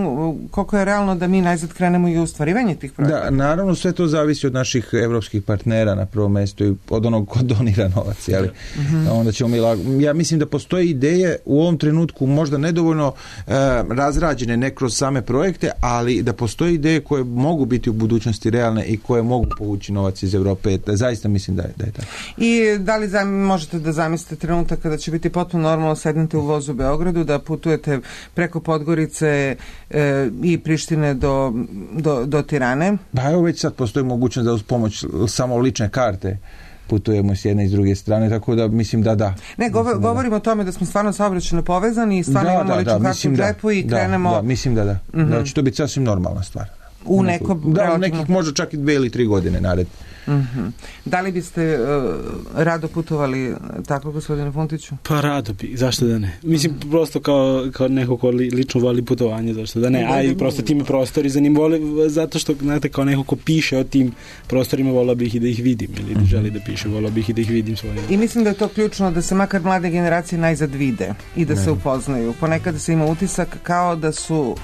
koliko je realno da mi najzad krenemo i u ostvarivanje tih projekta. Da, naravno sve to zavisi od naših evropskih partnera na prvom mjestu i od onog ko donira novac, ali uh-huh. onda ćemo mi lago. Ja mislim da postoje ideje u ovom trenutku možda nedovoljno e, razrađene ne kroz same projekte, ali da postoje ideje koje mogu biti u budućnosti realne i koje mogu povući novac iz Evrope. Da, zaista mislim da je, da je tako. I da li zam, možete da zamislite trenutak kada će biti potpuno normalno sednete u vozu u Beogradu, da putujete preko Podgorice e, i Prištine do, do, do Tirane? Pa evo već sad postoji mogućnost da uz pomoć samo lične karte putujemo s jedne i s druge strane, tako da mislim da da. Ne, govor, mislim, govorimo da. o tome da smo stvarno saobraćajno povezani i stvarno da, imamo da, ličnu da, kartu u džepu i da, krenemo... Da, mislim da da. Mm-hmm. Da će to biti sasvim normalna stvar. U nekom... Da, u nekih možda čak i dve ili tri godine nared. Mm-hmm. Da li biste uh, rado putovali tako, gospodine Funtiću? Pa rado bi, zašto da ne? Mislim, mm. prosto kao, kao neko ko li, lično voli putovanje, zašto da ne? A i prosto ti me prostori zanimali, zato što, znate, kao neko ko piše o tim prostorima, volao bih i da ih vidim, ili da želi da piše, volao bih i da ih vidim svoje. I mislim da je to ključno, da se makar mlade generacije najzad vide i da ne. se upoznaju. Ponekad se ima utisak kao da su, uh,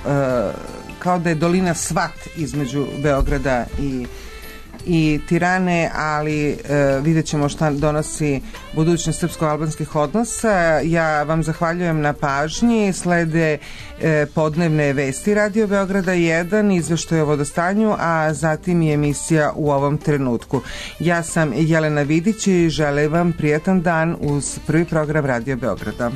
kao da je dolina svat između Beograda i i Tirane, ali e, vidjet ćemo šta donosi budućnost srpsko-albanskih odnosa. Ja vam zahvaljujem na pažnji. Slede e, podnevne vesti Radio Beograda jedan, izveštaj o vodostanju, a zatim i emisija U ovom trenutku. Ja sam Jelena Vidić i želim vam prijatan dan uz prvi program Radio Beograda.